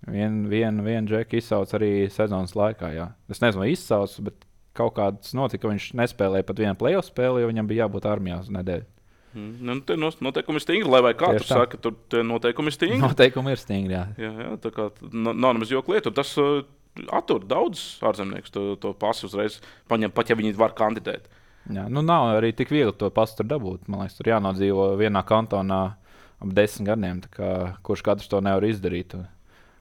vienu vien, vien džeku izsauc arī sezonas laikā. Jā. Es nezinu, vai izsauc, bet kaut kāds notika, ka viņš nespēlēja pat vienu playoff spēli, jo viņam bija jābūt armijā uz nedēļu. Mm, nu, tie noteikumi ir stingri, lai vai kā tur saka, tur tie noteikumi ir stingri. Noteikumi ir stingri, jā. Jā, jā, tā kā nav nemaz joka lieta. Tas uh, attur daudz ārzemniekus to, to pasu uzreiz paņem, pat ja viņi var kandidēt. Jā, nu nav arī tik viegli to pasu tur dabūt. Man liekas, tur jānodzīvo vienā kantonā ap desmit gadiem, tā kā kurš katrs to nevar izdarīt.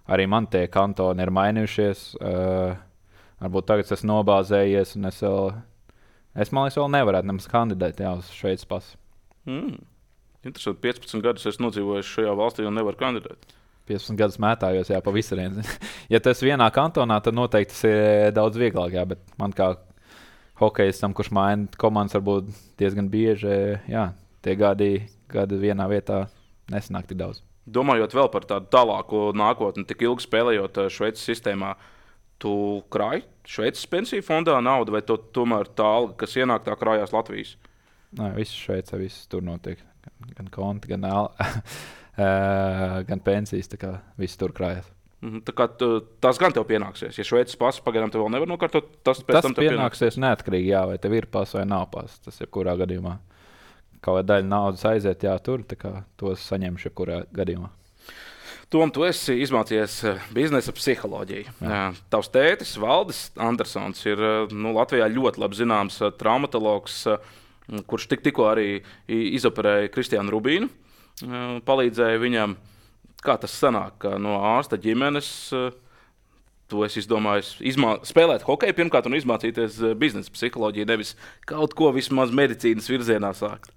Arī man tie kantoni ir mainījušies. Uh, varbūt tagad es nobāzējies un es vēl, es man liekas, vēl nevarētu nemaz kandidēt jā, uz Šveices pasu. Mm. Interesanti, piecpadsmit gadus es nodzīvoju šajā valstī un nevaru kandidēt. piecpadsmit gadus mētājos, jā, pa visurienu. Ja tas vienā kantonā, tad noteikti tas ir daudz vieglāk, jā, bet man kā hokejistam, kurš maina komandas varbūt diezgan bieži, jā, tie gadi, gadi vienā vietā nesanāk tik daudz. Domājot vēl par tādu tālāku nākotni, tik ilgi spēlējot Šveices sistēmā, tu krāji Šveices pensiju fondā naudu, vai tu tomēr tā alga, kas ienāk, tā krājās Latvijas? Nē, viss Šveicē, viss tur notiek. Gan, gan konti, gan, al, gan pensijas, tā kā viss tur krājās. Tā kā tu, tas gan tev pienāksies. Ja Šveices pasa pagaidām tev vēl nevar nokārtot, tas pēc tas tam tev pienāksies neatkarīgi, jā, vai tev ir pasa vai nav pasa. Tas ir kurā gadījumā. Kaut kāda daļa naudas aiziet, jā, tur, tā kā tos saņemšu jebkurā gadījumā. Tom, tu esi izmācījies biznesa psiholoģiju. Jā. Tavs tētis, Valdis Andersons, ir nu, Latvijā ļoti labi zināms traumatologs, kurš tik, tikko arī izoperēja Kristiānu Rubīnu, palīdzēja viņam. Kā tas sanāk, ka no ārsta ģimenes tu esi izdomājis izmā... spēlēt hokeju pirmkārt un izmācīties biznesa psiholoģiju, nevis kaut ko vismaz medicīnas virzienā sākt?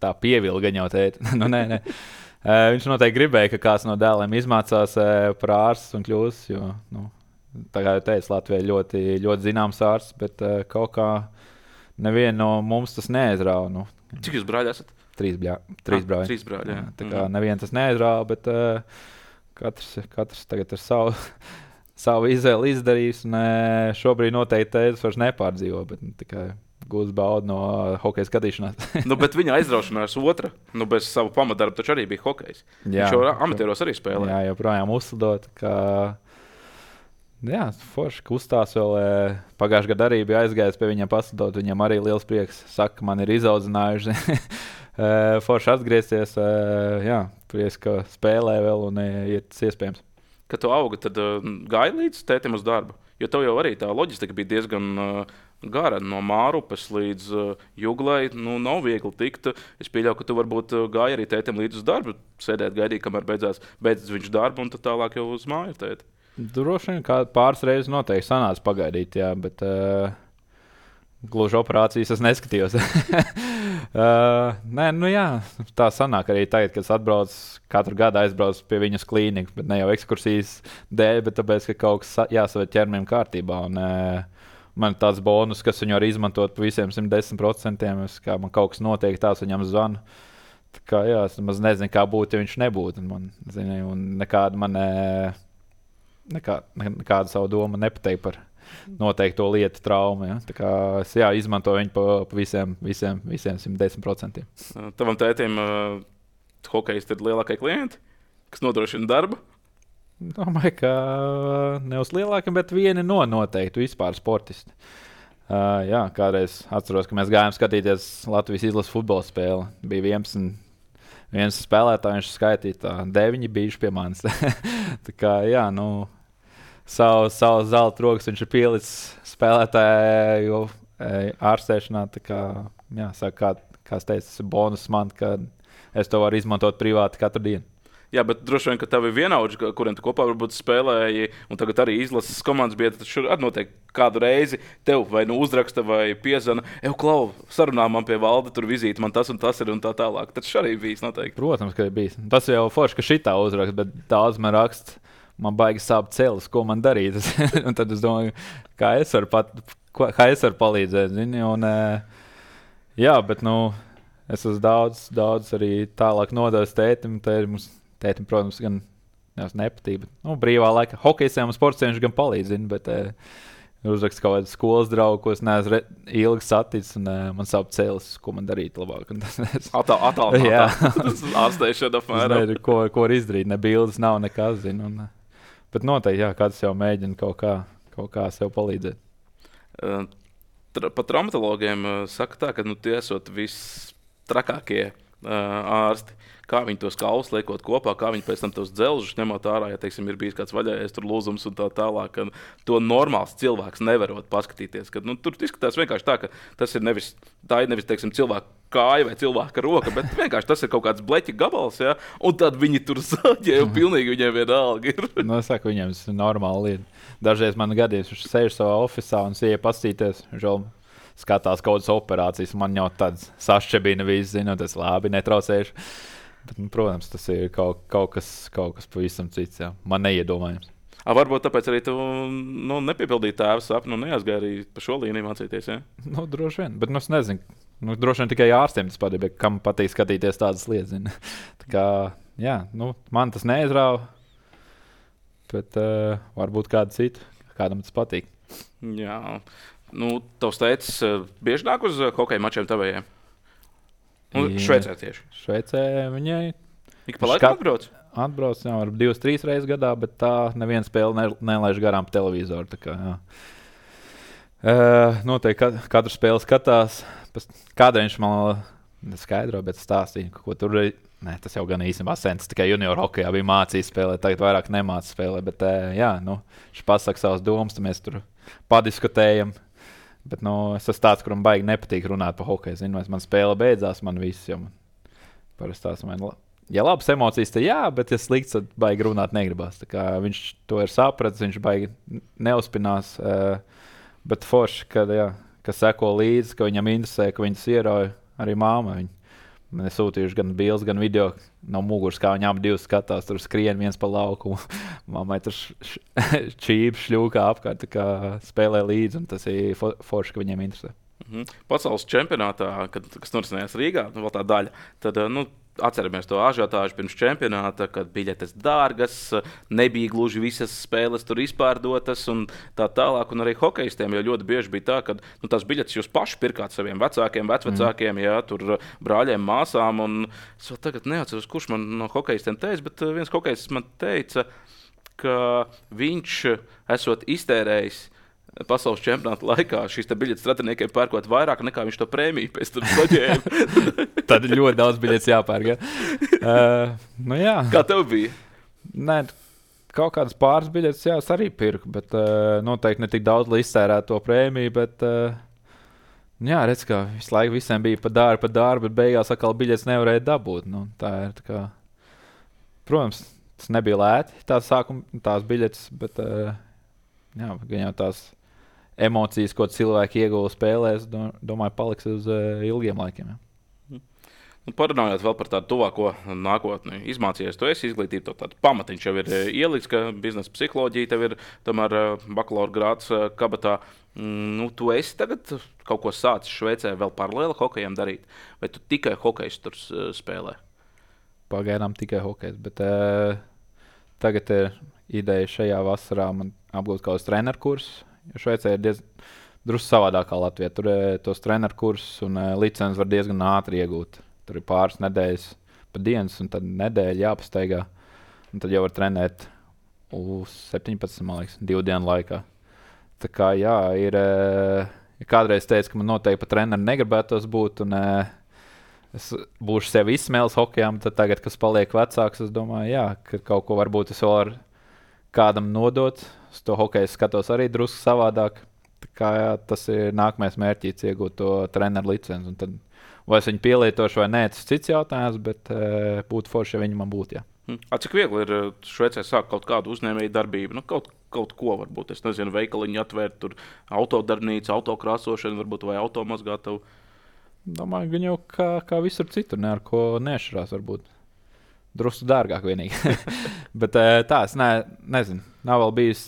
Tā pievilga jau tēti. nu, nē, nē. Uh, viņš noteikti gribēja, ka kāds no dēliem izmācās uh, par ārstu un kļūs, jo, nu, tā kā jau teicu, Latvijā ļoti, ļoti zināms ārsts, bet uh, kaut kā nevienu no mums tas neaizrāva. Nu. Cik jūs brāļi esat? Trīs, bļā, trīs ah, brāļi. Trīs brāļi, jā. Tā kā nevienu tas neaizrāva, bet uh, katrs, katrs tagad ir savu, savu izvēli izdarījis, un uh, šobrīd noteikti tētis vairs nepārdzīvo, bet nu, tikai gūs baudu no hokeja skatīšanās. nu, bet viņa aizraušanās otra, nu, bez savu pamatdarbu taču arī bija hokejs. Jā, viņš jau amatieros arī spēlē. Jā, joprojām uzslidot, ka jā, forši kustās vēl. Pagājušajā gadā arī bija aizgājis pie viņiem paslidot, viņam arī liels prieks. Saka, man ir izaudzinājuši. forši atgriezties, jā, prieks, ka spēlē vēl un ir tas iespējams. Kad tu augi, tad uh, gāji līdz tētim uz darbu? Jo tev jau arī tā loģistika bija diezgan uh, gara. No Mārupes līdz uh, Juglai nu, nav viegli tikt. Es pieļauju, ka tu varbūt uh, gāji arī tētim līdz uz darbu. Sēdēt, gaidīt, kamēr beidzās, beidzas viņš darbu un tad tālāk jau uz māju tēti. Droši vien kā pāris reizes noteikti sanāca pagaidīt, jā, bet uh, gluži operācijas es neskatījos. uh, nē, nu jā, tā sanāk arī tagad, kad es atbraucu, katru gadu aizbraucu pie viņas klīnikas, bet ne jau ekskursijas dēļ, bet tāpēc, ka kaut kas jāsaved ķermenim kārtībā. Un, uh, man ir tāds bonus, kas viņu var izmantot pa visiem simt desmit procentiem, es, kā man kaut kas notiek, tās viņam zvanu. Tā kā jā, es maz nezinu, kā būtu, ja viņš nebūtu. Un man, zini, un nekāda man, nekā, nekāda savu domu nepateikt par noteikto lietu traumu. Ja? Tā kā es jā, izmantoju viņu pa, pa visiem, visiem, visiem simt desmit procentiem. Tavam tētim uh, hokejisti ir lielākie klienti, kas nodrošina darbu? Domāju, ka ne uz lielākiem, bet vieni no noteikti vispār sportisti. Uh, jā, kādreiz atceros, ka mēs gājām skatīties Latvijas izlases futbola spēli. Bija vienpadsmit viens spēlētāji, viņš skaitīja tā, deviņi bijuši pie manis. Tā kā, jā, nu, savu, savu zelta rokas viņš ir pielicis spēlētāju ārstēšanā. Tā kā, jā, saka, kā, kā es teicu, tas ir bonus man, ka es to varu izmantot privāti katru dienu. Jā, bet droši vien, ka tev ir vienaudži, kuriem tu kopā varbūt spēlēji, un tagad arī izlases komandas biedri, tad šur noteikti kādu reizi tev vai nu uzraksta vai piezana, eju, Klau, sarunā man pie Valda, tur vizīti, man tas un tas ir un tā tālāk. Tas arī bijis noteikti. Protams, ka ir bijis. Tas jau forši, ka šitā uzraksta, bet daudz man raksta, man baigi sāp celis, ko man darīt. Un tad es domāju, kā es varu, pat, kā es varu palīdzēt, zini, un jā, bet, nu, es esmu daudz, daudz arī tālāk nodevis tētim, tā ir mums. Tētim, protams, gan nepatīk. Nu, brīvā laika hokejistiem un sportiem viņš gan palīdz, zin, bet eh, uzrakst kaut kādu skolas draugu, ko es neesmu re, ilgi saticis, un eh, man sāp celis, ko man darīt labāk. Atāl, atāl, atāl. Tas ārstēšana apmēram. Nezinu, ko, ko var izdarīt, ne bildes nav nekas, zin. Un, bet noteikti, jā, kāds jau mēģina kaut kā, kaut kā sev palīdzēt. Uh, tra, pa traumatologiem uh, saka tā, ka nu, tie esot vistrakākie uh, ārsti. Kā viņi tos kaulus liekot kopā, kā viņi pēc tam tos dzelžus ņemot ārā, ja, teiksim, ir bijis kāds vaļājies tur lūzums un tā tālāk. To normāls cilvēks nevarot paskatīties. Kad, nu, tur izskatās vienkārši tā, ka tas ir nevis, tā ir nevis, teiksim, cilvēka kāja vai cilvēka roka, bet vienkārši tas ir kaut kāds bleķa gabals, ja, un tad viņi tur sāģē, un pilnīgi viņiem vienalga ir. Nu, es saku, viņiem tas ir normāla lieta. Dažreiz man gadījums, viņš sēž savā ofisā un sieja pastīties, žēl, skatās kaut kādas operācijas, man jau tāds sašķebina viss, zinu, tas labi, netraucējuši. Bet, nu, protams, tas ir kaut, kaut, kas, kaut kas pavisam cits. Jā. Man neiedomājams. A, varbūt tāpēc arī tu nu, nepiepildīji tēva sapni un neaizgāji arī pa šo līniju mācīties. Ja? Nu, droši vien. Bet nu, es nezinu. Nu, droši vien tikai ārstiem tas patīk, kam patīk skatīties tādas lietas. Tā kā, jā, nu, man tas neizrāva. Bet uh, varbūt kādu citu, kādam tas patīk. Jā. Nu, tavs teicis, bieži nāk uz hokeja mačiem tavējiem? Nu, Šveicē tieši. Šveicē viņai ik pa laikam atbrauc? Atbrauc, jā, varbūt divas, trīs reizes gadā, bet tā neviena spēle ne, nelaiž garām pa televizoru. Tā kā, jā. Uh, noteikti katru spēli skatās. Kādreiz viņš man skaidro, bet stāstīja, ko tur ir. Nē, tas jau gan īstenībā sens, tikai junior hokejā bija mācījis spēlēt, tagad vairāk nemācīs spēlēt. Bet, jā, nu, viņš pasaka savas domas, tad mēs tur padiskutējam. Bet nu, es esmu tāds, kuram baigi nepatīk runāt par hokeju. Zinu, man spēle beidzās, man viss jau parasti tās man. Ja labas emocijas, tad jā, bet ja slikts, tad baigi runāt negribās. Tā kā viņš to ir sapratis, viņš baigi neuzpinās. Bet forši, kad, jā, ka seko līdzi, ka viņam interesē, ka viņas ierauj arī māma. Viņa. Man ir sūtījuši gan bildes, gan video no muguras, kā viņi abi divi skatās. Tur skrien viens pa laukumu. Mammai tur čīp, šļūkā apkārt, kā spēlē līdzi. Tas ir forši, ka viņiem interesē. Mhm. Pasaules čempionātā, kad, kas norisinājās Rīgā, nu, vēl tā daļa, tad nu, atceramies to ažiotāžu pirms čempionāta, kad biļetes dārgas, nebija gluži visas spēles tur izpārdotas un tā tālāk. Un arī hokejistiem jau ļoti bieži bija tā, ka nu, tās biļetes jūs paši pirkāt saviem vecākiem, vecvecākiem, mm. jā, tur brāļiem, māsām. Un es vēl tagad neatceros, kurš man no hokejistiem teica, bet viens hokejists man teica, ka viņš esot iztērējis pasaules čempionāta laikā šīs biļetes stratiniekiem pērkot vairāk nekā viņš to prēmiju pēc tam saņēma. Tad ļoti daudz biļetes jāpērk. Ja? Uh, nu jā. Kā tev bija? Nē, kaut kādas pāris biļetes jā, es arī pirku, bet uh, noteikti ne tik daudz, lai iztērētu to prēmiju. Bet, uh, jā, redz, ka visu laiku visiem bija pa dārbu, pa dārbu, bet beigās atkal biļetes nevarēja dabūt. Nu, tā ir tā kā, protams, tas nebija lēti, tās sākuma, tās biļetes, bet uh, jā, gan jau tās emocijas, ko cilvēki ieguva spēlēs, domāju, paliks uz uh, ilgiem laikiem. Ja. Nu, parunājot vēl par tādu tuvāko nākotni, izmācījies, tu esi izglītība, to tādu pamatiņš jau ir ielikts, ka biznesa psiholoģija tev ir tomēr bakalaura grāds kabatā. Nu, tu esi tagad kaut ko sācis Šveicē vēl paralēli hokejam darīt, vai tu tikai hokejs tur spēlē? Pagaidām tikai hokejs, bet uh, tagad ir ideja šajā vasarā man apgūt kaut kādus treneru kursus. Šveicē ir diezgan drusku savādāk kā Latvijā. Tur ir tos treneru kursus un uh, licences var diezgan ātri iegūt. Tur ir pāris nedēļas pa dienas un tad nedēļa jāpastaigā. Un tad jau var trenēt uz septiņpadsmit, man liekas, divu dienu laikā. Tā kā jā, ir, uh, ja kādreiz teicu, ka man noteikti pa treneru negribētos būt un uh, es būšu sevi izsmēlis hokejām, tad tagad, kas paliek vecāks, es domāju, jā, ka kaut ko varbūt es vēl varu kādam nodot. Es to hokeju skatos arī drusku savādāk. Tā kā, jā, tas ir nākamais mērķis, iegūt to treneru licenci. Tad, vai es viņu pielietošu vai nē, tas ir cits jautājums, bet e, būtu forši, ja viņi man būtu. Jā. A, cik viegli ir Šveicē sākt kaut kādu uzņēmēju darbību? Nu, kaut, kaut ko varbūt, es nezinu, veikaliņu atvērt, tur autodarbnīca, autokrāsošana, varbūt vai automazgātavu. Domāju, gan jau kā, kā visur citur, ne ar ko nešarās varbūt. Drusku dārgāk vienīgi. Bet tā, es ne, nezinu, nav vēl bijis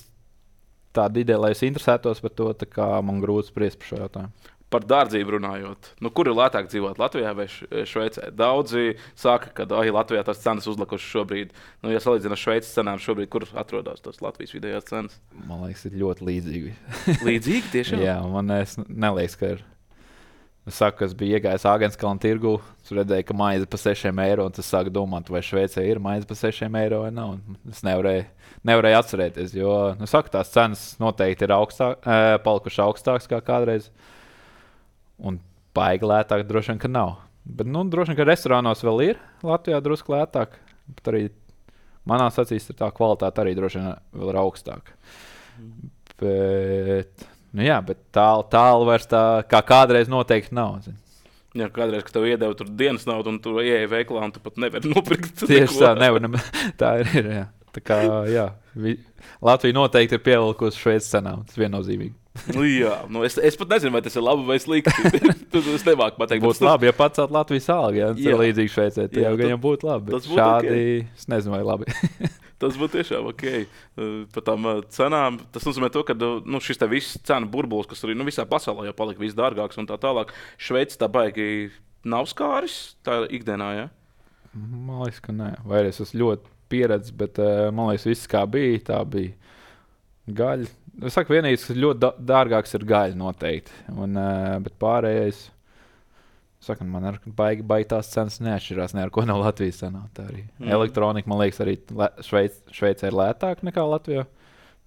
tāda ideja, lai es interesētos par to, tā kā man grūti spriest par šo jautājumu. Par dārdzību runājot, nu, kur ir lētāk dzīvot, Latvijā vai Šveicē? Daudzi saka, ka ai, Latvijā tās cenas uzlikušas šobrīd. Nu, ja salīdzina ar Šveices cenām šobrīd, kur atrodas tās Latvijas vidējās cenas? Man liekas, ir ļoti līdzīgi. Līdzīgi tiešām? Jā, man es neliekas, ka ir. Es saku, ka es biju iegājis Āgenskalna tirgu, es redzēju, ka maize pa sešiem eiro, un tas sāku domāt, vai Šveicē ir maize pa sešiem eiro vai nav. Es nevarēju, nevarēju atcerēties, jo, nu, saku, tās cenas noteikti ir augstāk, e, palikuši augstākas kā kādreiz, un baigi lētāk droši vien, ka nav. Bet, nu, droši vien, ka restorānos vēl ir Latvijā drusku lētāk, bet arī manās acīs tā kvalitāte arī droši vien vēl ir augstāka. Mm. Bet... Nu jā, bet tālu, tālu vairs tā, kā kādreiz noteikti nav. Zin. Jā, kādreiz, kad tev iedeva tur dienas naudu un tu ieeji veiklā un tu pat nevari nopirkt. Tieši tā, nevar, tā ir, jā. Tā kā, jā. Vi... Latvija noteikti ir pievilkusi Šveices cenām. Tas viennozīmīgi. Nu, jā, nu es, es pat nezinu, vai tas ir labi vai slikti. Tas nemāk pateikt. Būtu labi, ja pacelt Latvijas algu, ja tas ir līdzīgi Šveicē. Tā jau gan būtu labi. Tas būtu šādi, okay. Es nezinu, vai labi. Tas būtu tiešām ok. Par tām cenām, tas nozīmē to, ka nu, šis te viss cenu burbulis, kas arī nu, visā pasaulē jau palika viss dārgāks un tā tālāk, Šveice tā baigi nav skāris tā ikdienā, ja? Man liekas, ka nē. Vai es esmu ļoti pieredzis, bet man liekas, viss kā bija, tā bija gaļa. Es saku, vienīgais, kas ļoti dārgāks ir gaļa noteikti. Un, bet pārējais, saku, man ar baigi, baigi tās cenas neatšķirās ne ar ko no Latvijas cenā. Tā arī mm. elektronika, man liekas, arī Šveic, Šveicē ir lētāk nekā Latvijā.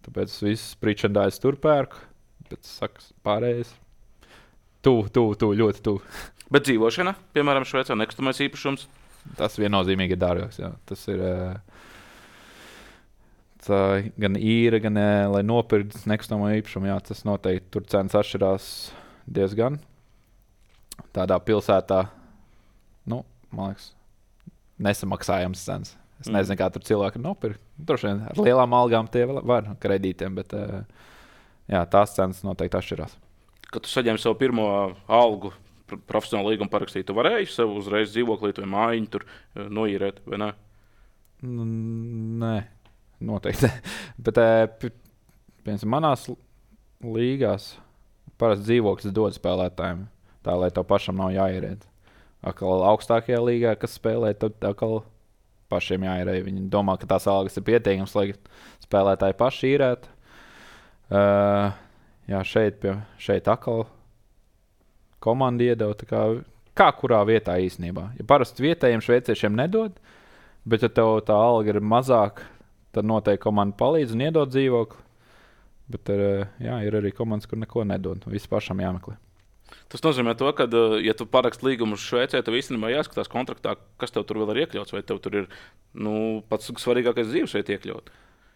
Tāpēc viss pričendājas tur pērku. Bet, saku, pārējais, tuvu, tuvu, tuvu, ļoti tuvu. Bet dzīvošana, piemēram, Šveicē nekustamais īpašums? Tas viennozīmīgi ir dārgāks, jā. Tas ir... Tā, gan īra, gan lai nopirktu nekustamo īpašumu, jā, tas noteikti tur cenas atšķirās diezgan. Tādā pilsētā, nu, man liekas, nesamaksājams cenas. Es mm. nezinu, kā tur cilvēki nopirkt. Droši vien ar lielām algām tie var kredītiem, bet jā, tās cenas noteikti atšķirās. Kad tu saņēmi savu pirmo algu, profesionālu līgumu parakstīt, tu varēji sev uzreiz dzīvoklīt vai mājiņu tur noīrēt, vai ne? Nē. Noteikti. Bet, piemēram, manās līgās parasti dzīvoklis dod spēlētājiem, tā lai tev pašam nav jāierēd. Atkal augstākajā līgā, kas spēlē, tad atkal pašiem jāierēd. Viņi domā, ka tās algas ir pietiekams, lai spēlētāji paši īrētu. Uh, jā, šeit, pie, šeit atkal komanda iedeva, tā kā, kā kurā vietā īstenībā. Ja parasti vietējiem šveiciešiem nedod, bet ja tev tā alga ir mazāk, tad noteikti komanda palīdz un iedod dzīvokli. Bet jā, ir arī komandas, kur neko nedod. Viss pašam jāmeklē. Tas nozīmē to, ka, ja tu paraksti līgumu uz Šveicē, tev īstenībā jāskatās kontraktā, kas tev tur vēl ir iekļauts, vai tev tur ir nu, pats svarīgākais dzīves šeit iekļaut.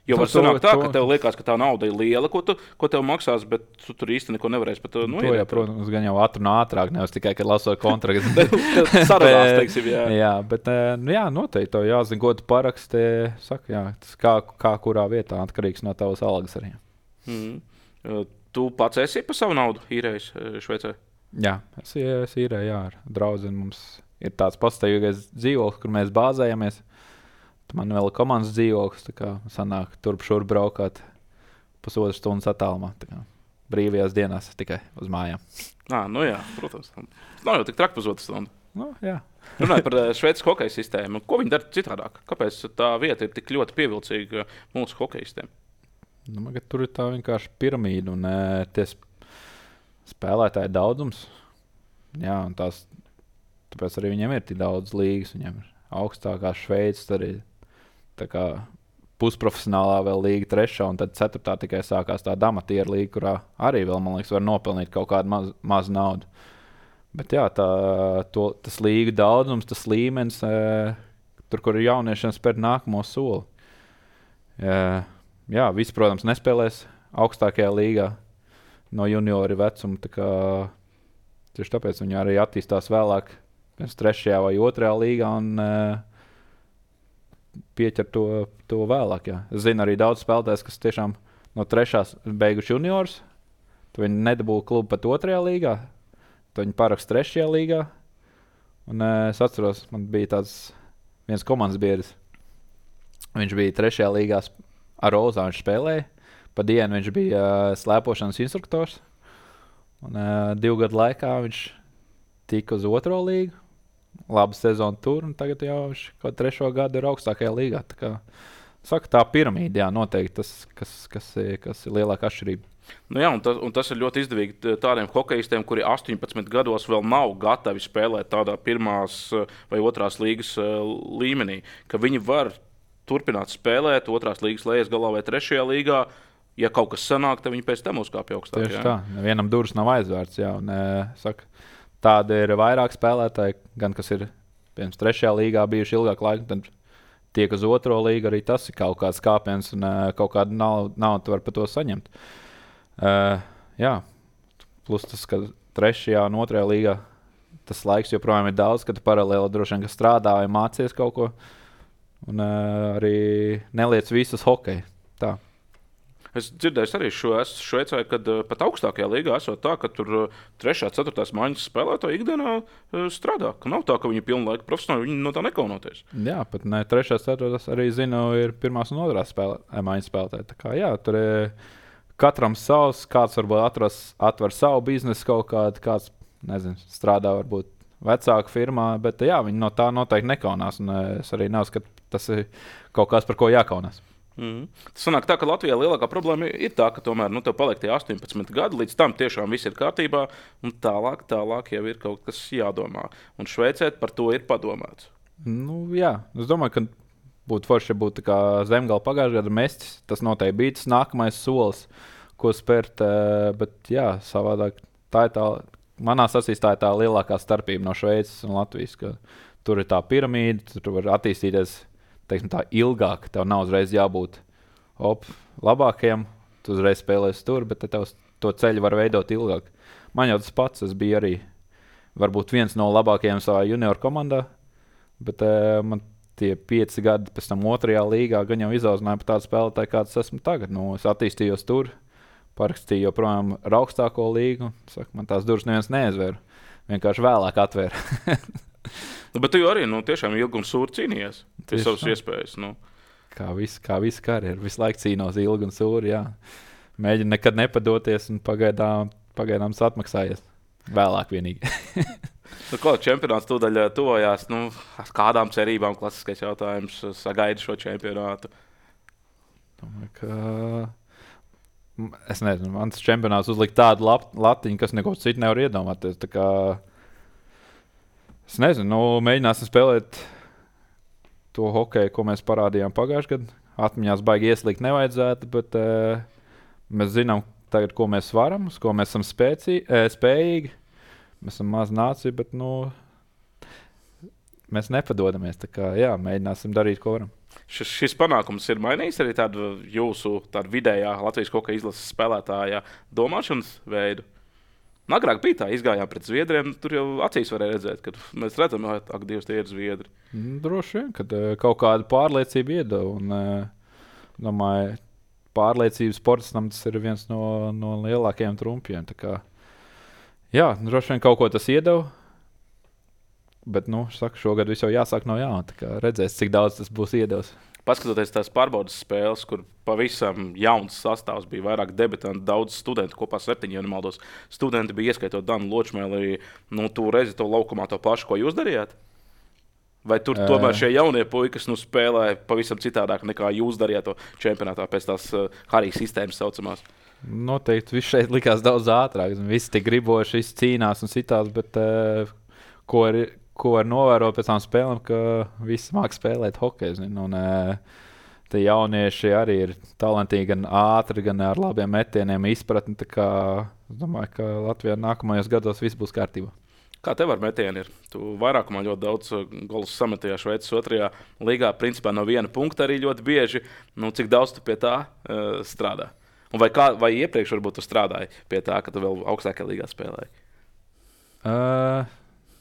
Jo var sanākt tā, ka tev liekas, ka tā nauda ir liela, ko, tu, ko tev maksās, bet tu tur īsti neko nevarēsi pat noiet. To, jā, protams, gan jau ātri un ātrāk, nevis tikai, kad lasot kontraktu. Saradās, teiksim, jā. Jā, bet nu, jā, noteikti tev jāzina, ko tu paraksti. Saka, jā, tas kā, kā kurā vietā atkarīgs no tavas algas arī. Mm. Tu pats esi pa savu naudu īrējis Šveicē? Jā, es, es īrēju, jā, ar draudzeni. Mums ir tāds pastāvīgais dzīvoklis, kur mēs bāzējamies. Man vēl ir komandas dzīvoklis, tā kā sanāk turp šur braukāt pusotru stundas attālumā. Brīvajās dienās tikai uz mājām. Nā, nu jā, protams. Nav jau tik traki pusotru stundu. Nu, jā. Runājot par Šveices hokeja sistēmu, ko viņi dara citādāk? Kāpēc tā vieta ir tik ļoti pievilcīga mūsu hokejistiem? Nu, man, tur ir tā vienkārši piramīda un tie spēlētāji daudzums. Jā, un tās, tāpēc arī viņiem ir tik daudz līgas. Viņiem ir augstākā Šveices, arī tā kā pusprofesionālā vēl līga trešā, un tad ceturtā tikai sākās tā amatieru līga, kurā arī vēl, man liekas, var nopelnīt kaut kādu maz, mazu naudu. Bet jā, tā, to, tas līga daudzums, tas līmenis, e, tur, kur ir jauniešiem spērt nākamo soli. E, jā, visi, protams, nespēlēs augstākajā līgā no juniori vecuma, tā kā tieši tāpēc viņi arī attīstās vēlāk, pirms trešajā vai otrajā līgā, un e, pieķer to, to vēlāk. Jā. Es zinu arī daudz spēlētājs, kas tiešām no trešās beiguši juniors, tad viņi nedabūja klubu pat otrajā līgā, tad viņi parakst trešajā līgā. Un es atceros, man bija tāds viens komandas biedrs. Viņš bija trešajā līgā ar Rozā, viņš spēlēja. Pa dienu viņš bija uh, slēpošanas instruktors. Un uh, divu gadu laikā viņš tika uz otro līgu. Laba sezona tur, un tagad jau viņš kaut trešo gadu ir augstākajā līgā. Tā kā, saka, tā piramīda, jā, noteikti tas, kas, kas, kas ir lielāka atšķirība. Nu jā, un tas, un tas ir ļoti izdevīgi tādiem hokejistiem, kuri astoņpadsmit gados vēl nav gatavi spēlēt tādā pirmās vai otrās līgas līmenī, ka viņi var turpināt spēlēt otrās līgas lejas galā vai trešajā līgā. Ja kaut kas sanāk, tad viņi pēc tam uzkāpja augstāk. Tieši jā. Tā, nevienam durvis nav aizvērts, jā, un saka, tādi ir vairāk spēlētāji, gan kas ir pirms trešajā līgā bijuši ilgāk laika, tad tiek uz otro līgu, arī tas ir kaut kāds kāpiens un uh, kaut kādu naudu, naudu var par to saņemt. Uh, jā, plus tas, ka trešajā un otrajā līgā tas laiks joprojām ir daudz, kad tu paralēli droši vien, ka strādā vai mācies kaut ko un uh, arī neliec visus hokeju. tā. Es dzirdēju arī šo Šveicē, kad uh, pat augstākajā līgā esot tā, ka tur uh, trešā, ceturtās maiņas spēlētāji ikdienā uh, strādā. Ka nav tā, ka viņi pilnu laiku profesionāli, viņi no tā nekaunoties. Jā, pat ne trešās, ceturtās arī zinu, ir pirmās un otrās spēlē, maiņas spēlētāji. Tā kā jā, tur ir katram savs, kāds varbūt atras, atver savu biznesu kaut kādu, kāds, nezinu, strādā varbūt vecāku firmā, bet jā, viņi no tā noteikti nekaunās. Un es arī neuzskatu, tas ir kaut kas, par ko jākaunās. Mm. Tas sanāk tā, ka Latvijā lielākā problēma ir tā, ka tomēr nu, tev paliek tie astoņpadsmit gadi, līdz tam tiešām viss ir kārtībā, un tālāk, tālāk jau ir kaut kas jādomā. Un Šveicē par to ir padomāts. Nu, jā, es domāju, ka būtu forši, ja būtu kā Zemgala pagājušajā gada mestis. Tas noteikti bija tas nākamais solis, ko spērt, bet jā, savādāk tā ir tā, manā acīs tā ir tā lielākā starpība no Šveices un Latvijas, ka tur ir tā piramīda, tur var attīstīties teiksim, tā ilgāk, tev nav uzreiz jābūt op, labākajam, tu uzreiz spēlēsi tur, bet tev to ceļu var veidot ilgāk. Man jau tas pats, es biju arī varbūt viens no labākajiem savā junior komandā, bet uh, man tie pieci gadi pēc tam otrajā līgā gan jau izaudzināja par tādu spēlētāju, kāds esmu tagad. Nu, es attīstījos tur, parakstīju joprojām ar augstāko līgu, saku, man tās durvis neviens neaizvēra, vienkārši vēlāk atvēra. Nu, bet tu arī nu, tiešām ilgi un sūri cīnījies pie savas iespējas. Nu. Kā visu kā vis karjeru, visu laiku cīnos ilgi un sūri, jā. Mēģinu nekad nepadoties un pagaidām, pagaidām atmaksājies. Vēlāk vienīgi. Nu, ko, čempionāts tūdaļ tuvojās, nu, ar kādām cerībām klasiskais jautājums sagaida šo čempionātu? Domāju, ka... Es nezinu, mans čempionāts uzlikt tādu lap, latiņu, kas neko citu nevar iedomāties. Tā kā... Es nezinu, nu, mēģināsim spēlēt to hokeju, ko mēs parādījām pagājušajā gadā. Atmiņās baigi ieslīgt nevajadzētu, bet uh, mēs zinām tagad, ko mēs varam, uz ko mēs esam spēcī, uh, spējīgi. Mēs esam maz nācija, bet nu, mēs nepadodamies. Tā kā, jā, mēģināsim darīt, ko varam. Šis, šis panākums ir mainījis arī tādu jūsu tādu vidējā Latvijas hokeja izlases spēlētāja domāšanas veidu? Agrāk bija tā, izgājām pret Zviedriem, tur jau acīs varēja redzēt, ka mēs redzam, ak, Dievs, tie ir Zviedri. Droši vien, kad uh, kaut kādu pārliecību iedeva. Un, uh, domāju, pārliecības sportistam tas ir viens no, no lielākajiem trumpiem. Tā kā, jā, droši vien kaut ko tas iedeva, bet, nu, saku, šogad viss jau jāsāk no jauna. Tā kā redzēs, cik daudz tas būs iedevis. Paskatoties tās pārbaudas spēles, kur pavisam jauns sastāvs bija, vairāk debitantu, daudz studentu, kopā septiņi, ja nemaldos. Studenti bija ieskaitot Danu Ločmēli, nu, tu redzi to laukumā to pašu, ko jūs darījāt? Vai tur uh, tomēr šie jaunie puikas nu, spēlē pavisam citādāk nekā jūs darījāt to čempionātā pēc tās uh, Harijas sistēmas saucamās? Noteikti viss šeit likās daudz ātrāk. Visi tik griboši, visi cīnās un citās, bet uh, ko ir... ko var novērot pēc tām spēlēm, ka visi māk spēlēt hokeju. Un tie jaunieši arī ir talantīgi, gan ātri, gan ar labiem metieniem izpratni. Tā kā es domāju, ka Latvijā nākamajos gados viss būs kārtībā. Kā tev ar metieni ir? Tu vairākumā ļoti daudz golus sametajā Šveices otrajā līgā, principā no viena punkta arī ļoti bieži. Nu, cik daudz tu pie tā uh, strādā? Un vai, kā, vai iepriekš varbūt tu strādāji pie tā, ka tu vēl augstākajā līgā spēlēji? Uh...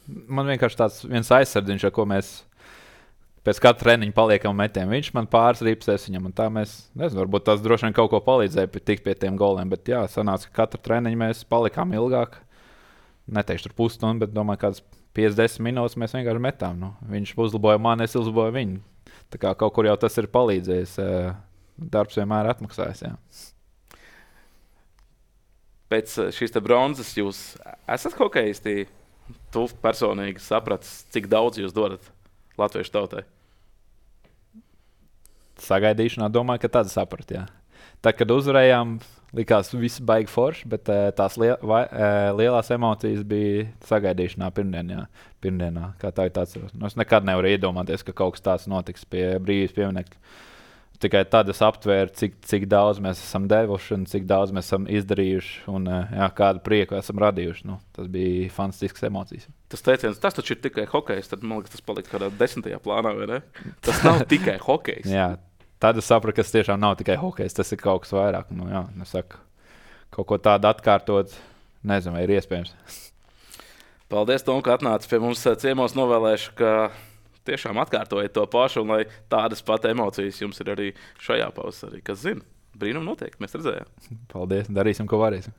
Man vienkārši tāds viens aizsardziņš, ar ko mēs pēc katra treniņa paliekam metiem. Viņš man pāris ripsēs viņam, un tā mēs, nezinu, varbūt tas droši vien kaut ko palīdzēja tikt pie tiem goliem, bet jā, sanāca, ka katra treniņa mēs palikām ilgāk. Neteikšu tur pusstundu, bet domāju, kādas piecdesmit minūtes mēs vienkārši metām. Nu, viņš uzlaboja mani, es uzlaboju viņu. Tā kā kaut kur jau tas ir palīdzējis. Darbs vienmēr atmaksājas, jā. Pēc šīs te bronzas jūs esat hokejisti? Tu personīgi sapratis, cik daudz jūs dodat latviešu tautai? Sagaidīšanā domāju, ka tad saprat, jā. Tā, kad uzvarējām, likās viss baigi forši, bet tās liel, vai, lielās emocijas bija sagaidīšanā pirmdienā. pirmdienā kā tā ir tāds, nu, es nekad nevaru iedomāties, ka kaut kas tāds notiks pie brīvības pieminekļa. Tikai tad es aptvēru, cik, cik daudz mēs esam devuši un cik daudz mēs esam izdarījuši un jā, kādu prieku esam radījuši. Nu, tas bija fantastisks emocijas. Tas teiciens, tas taču ir tikai hokejs, tad man liekas, tas palika kādā desmitajā plānā, vai ne? Tas nav tikai hokejs. Jā, tad es sapratu, ka tas tiešām nav tikai hokejs, tas ir kaut kas vairāk. Nu, jā, nesaku, kaut ko tādu atkārtot, nezinu, vai ir iespējams. Paldies, Tom, ka atnāci pie mums ciemos, novēlēšu, ka tiešām atkārtojiet to pašu, un lai tādas pat emocijas jums ir arī šajā pavasarī. Kas zina, brīnum notiek, mēs redzējām. Paldies, darīsim, ko varēsim.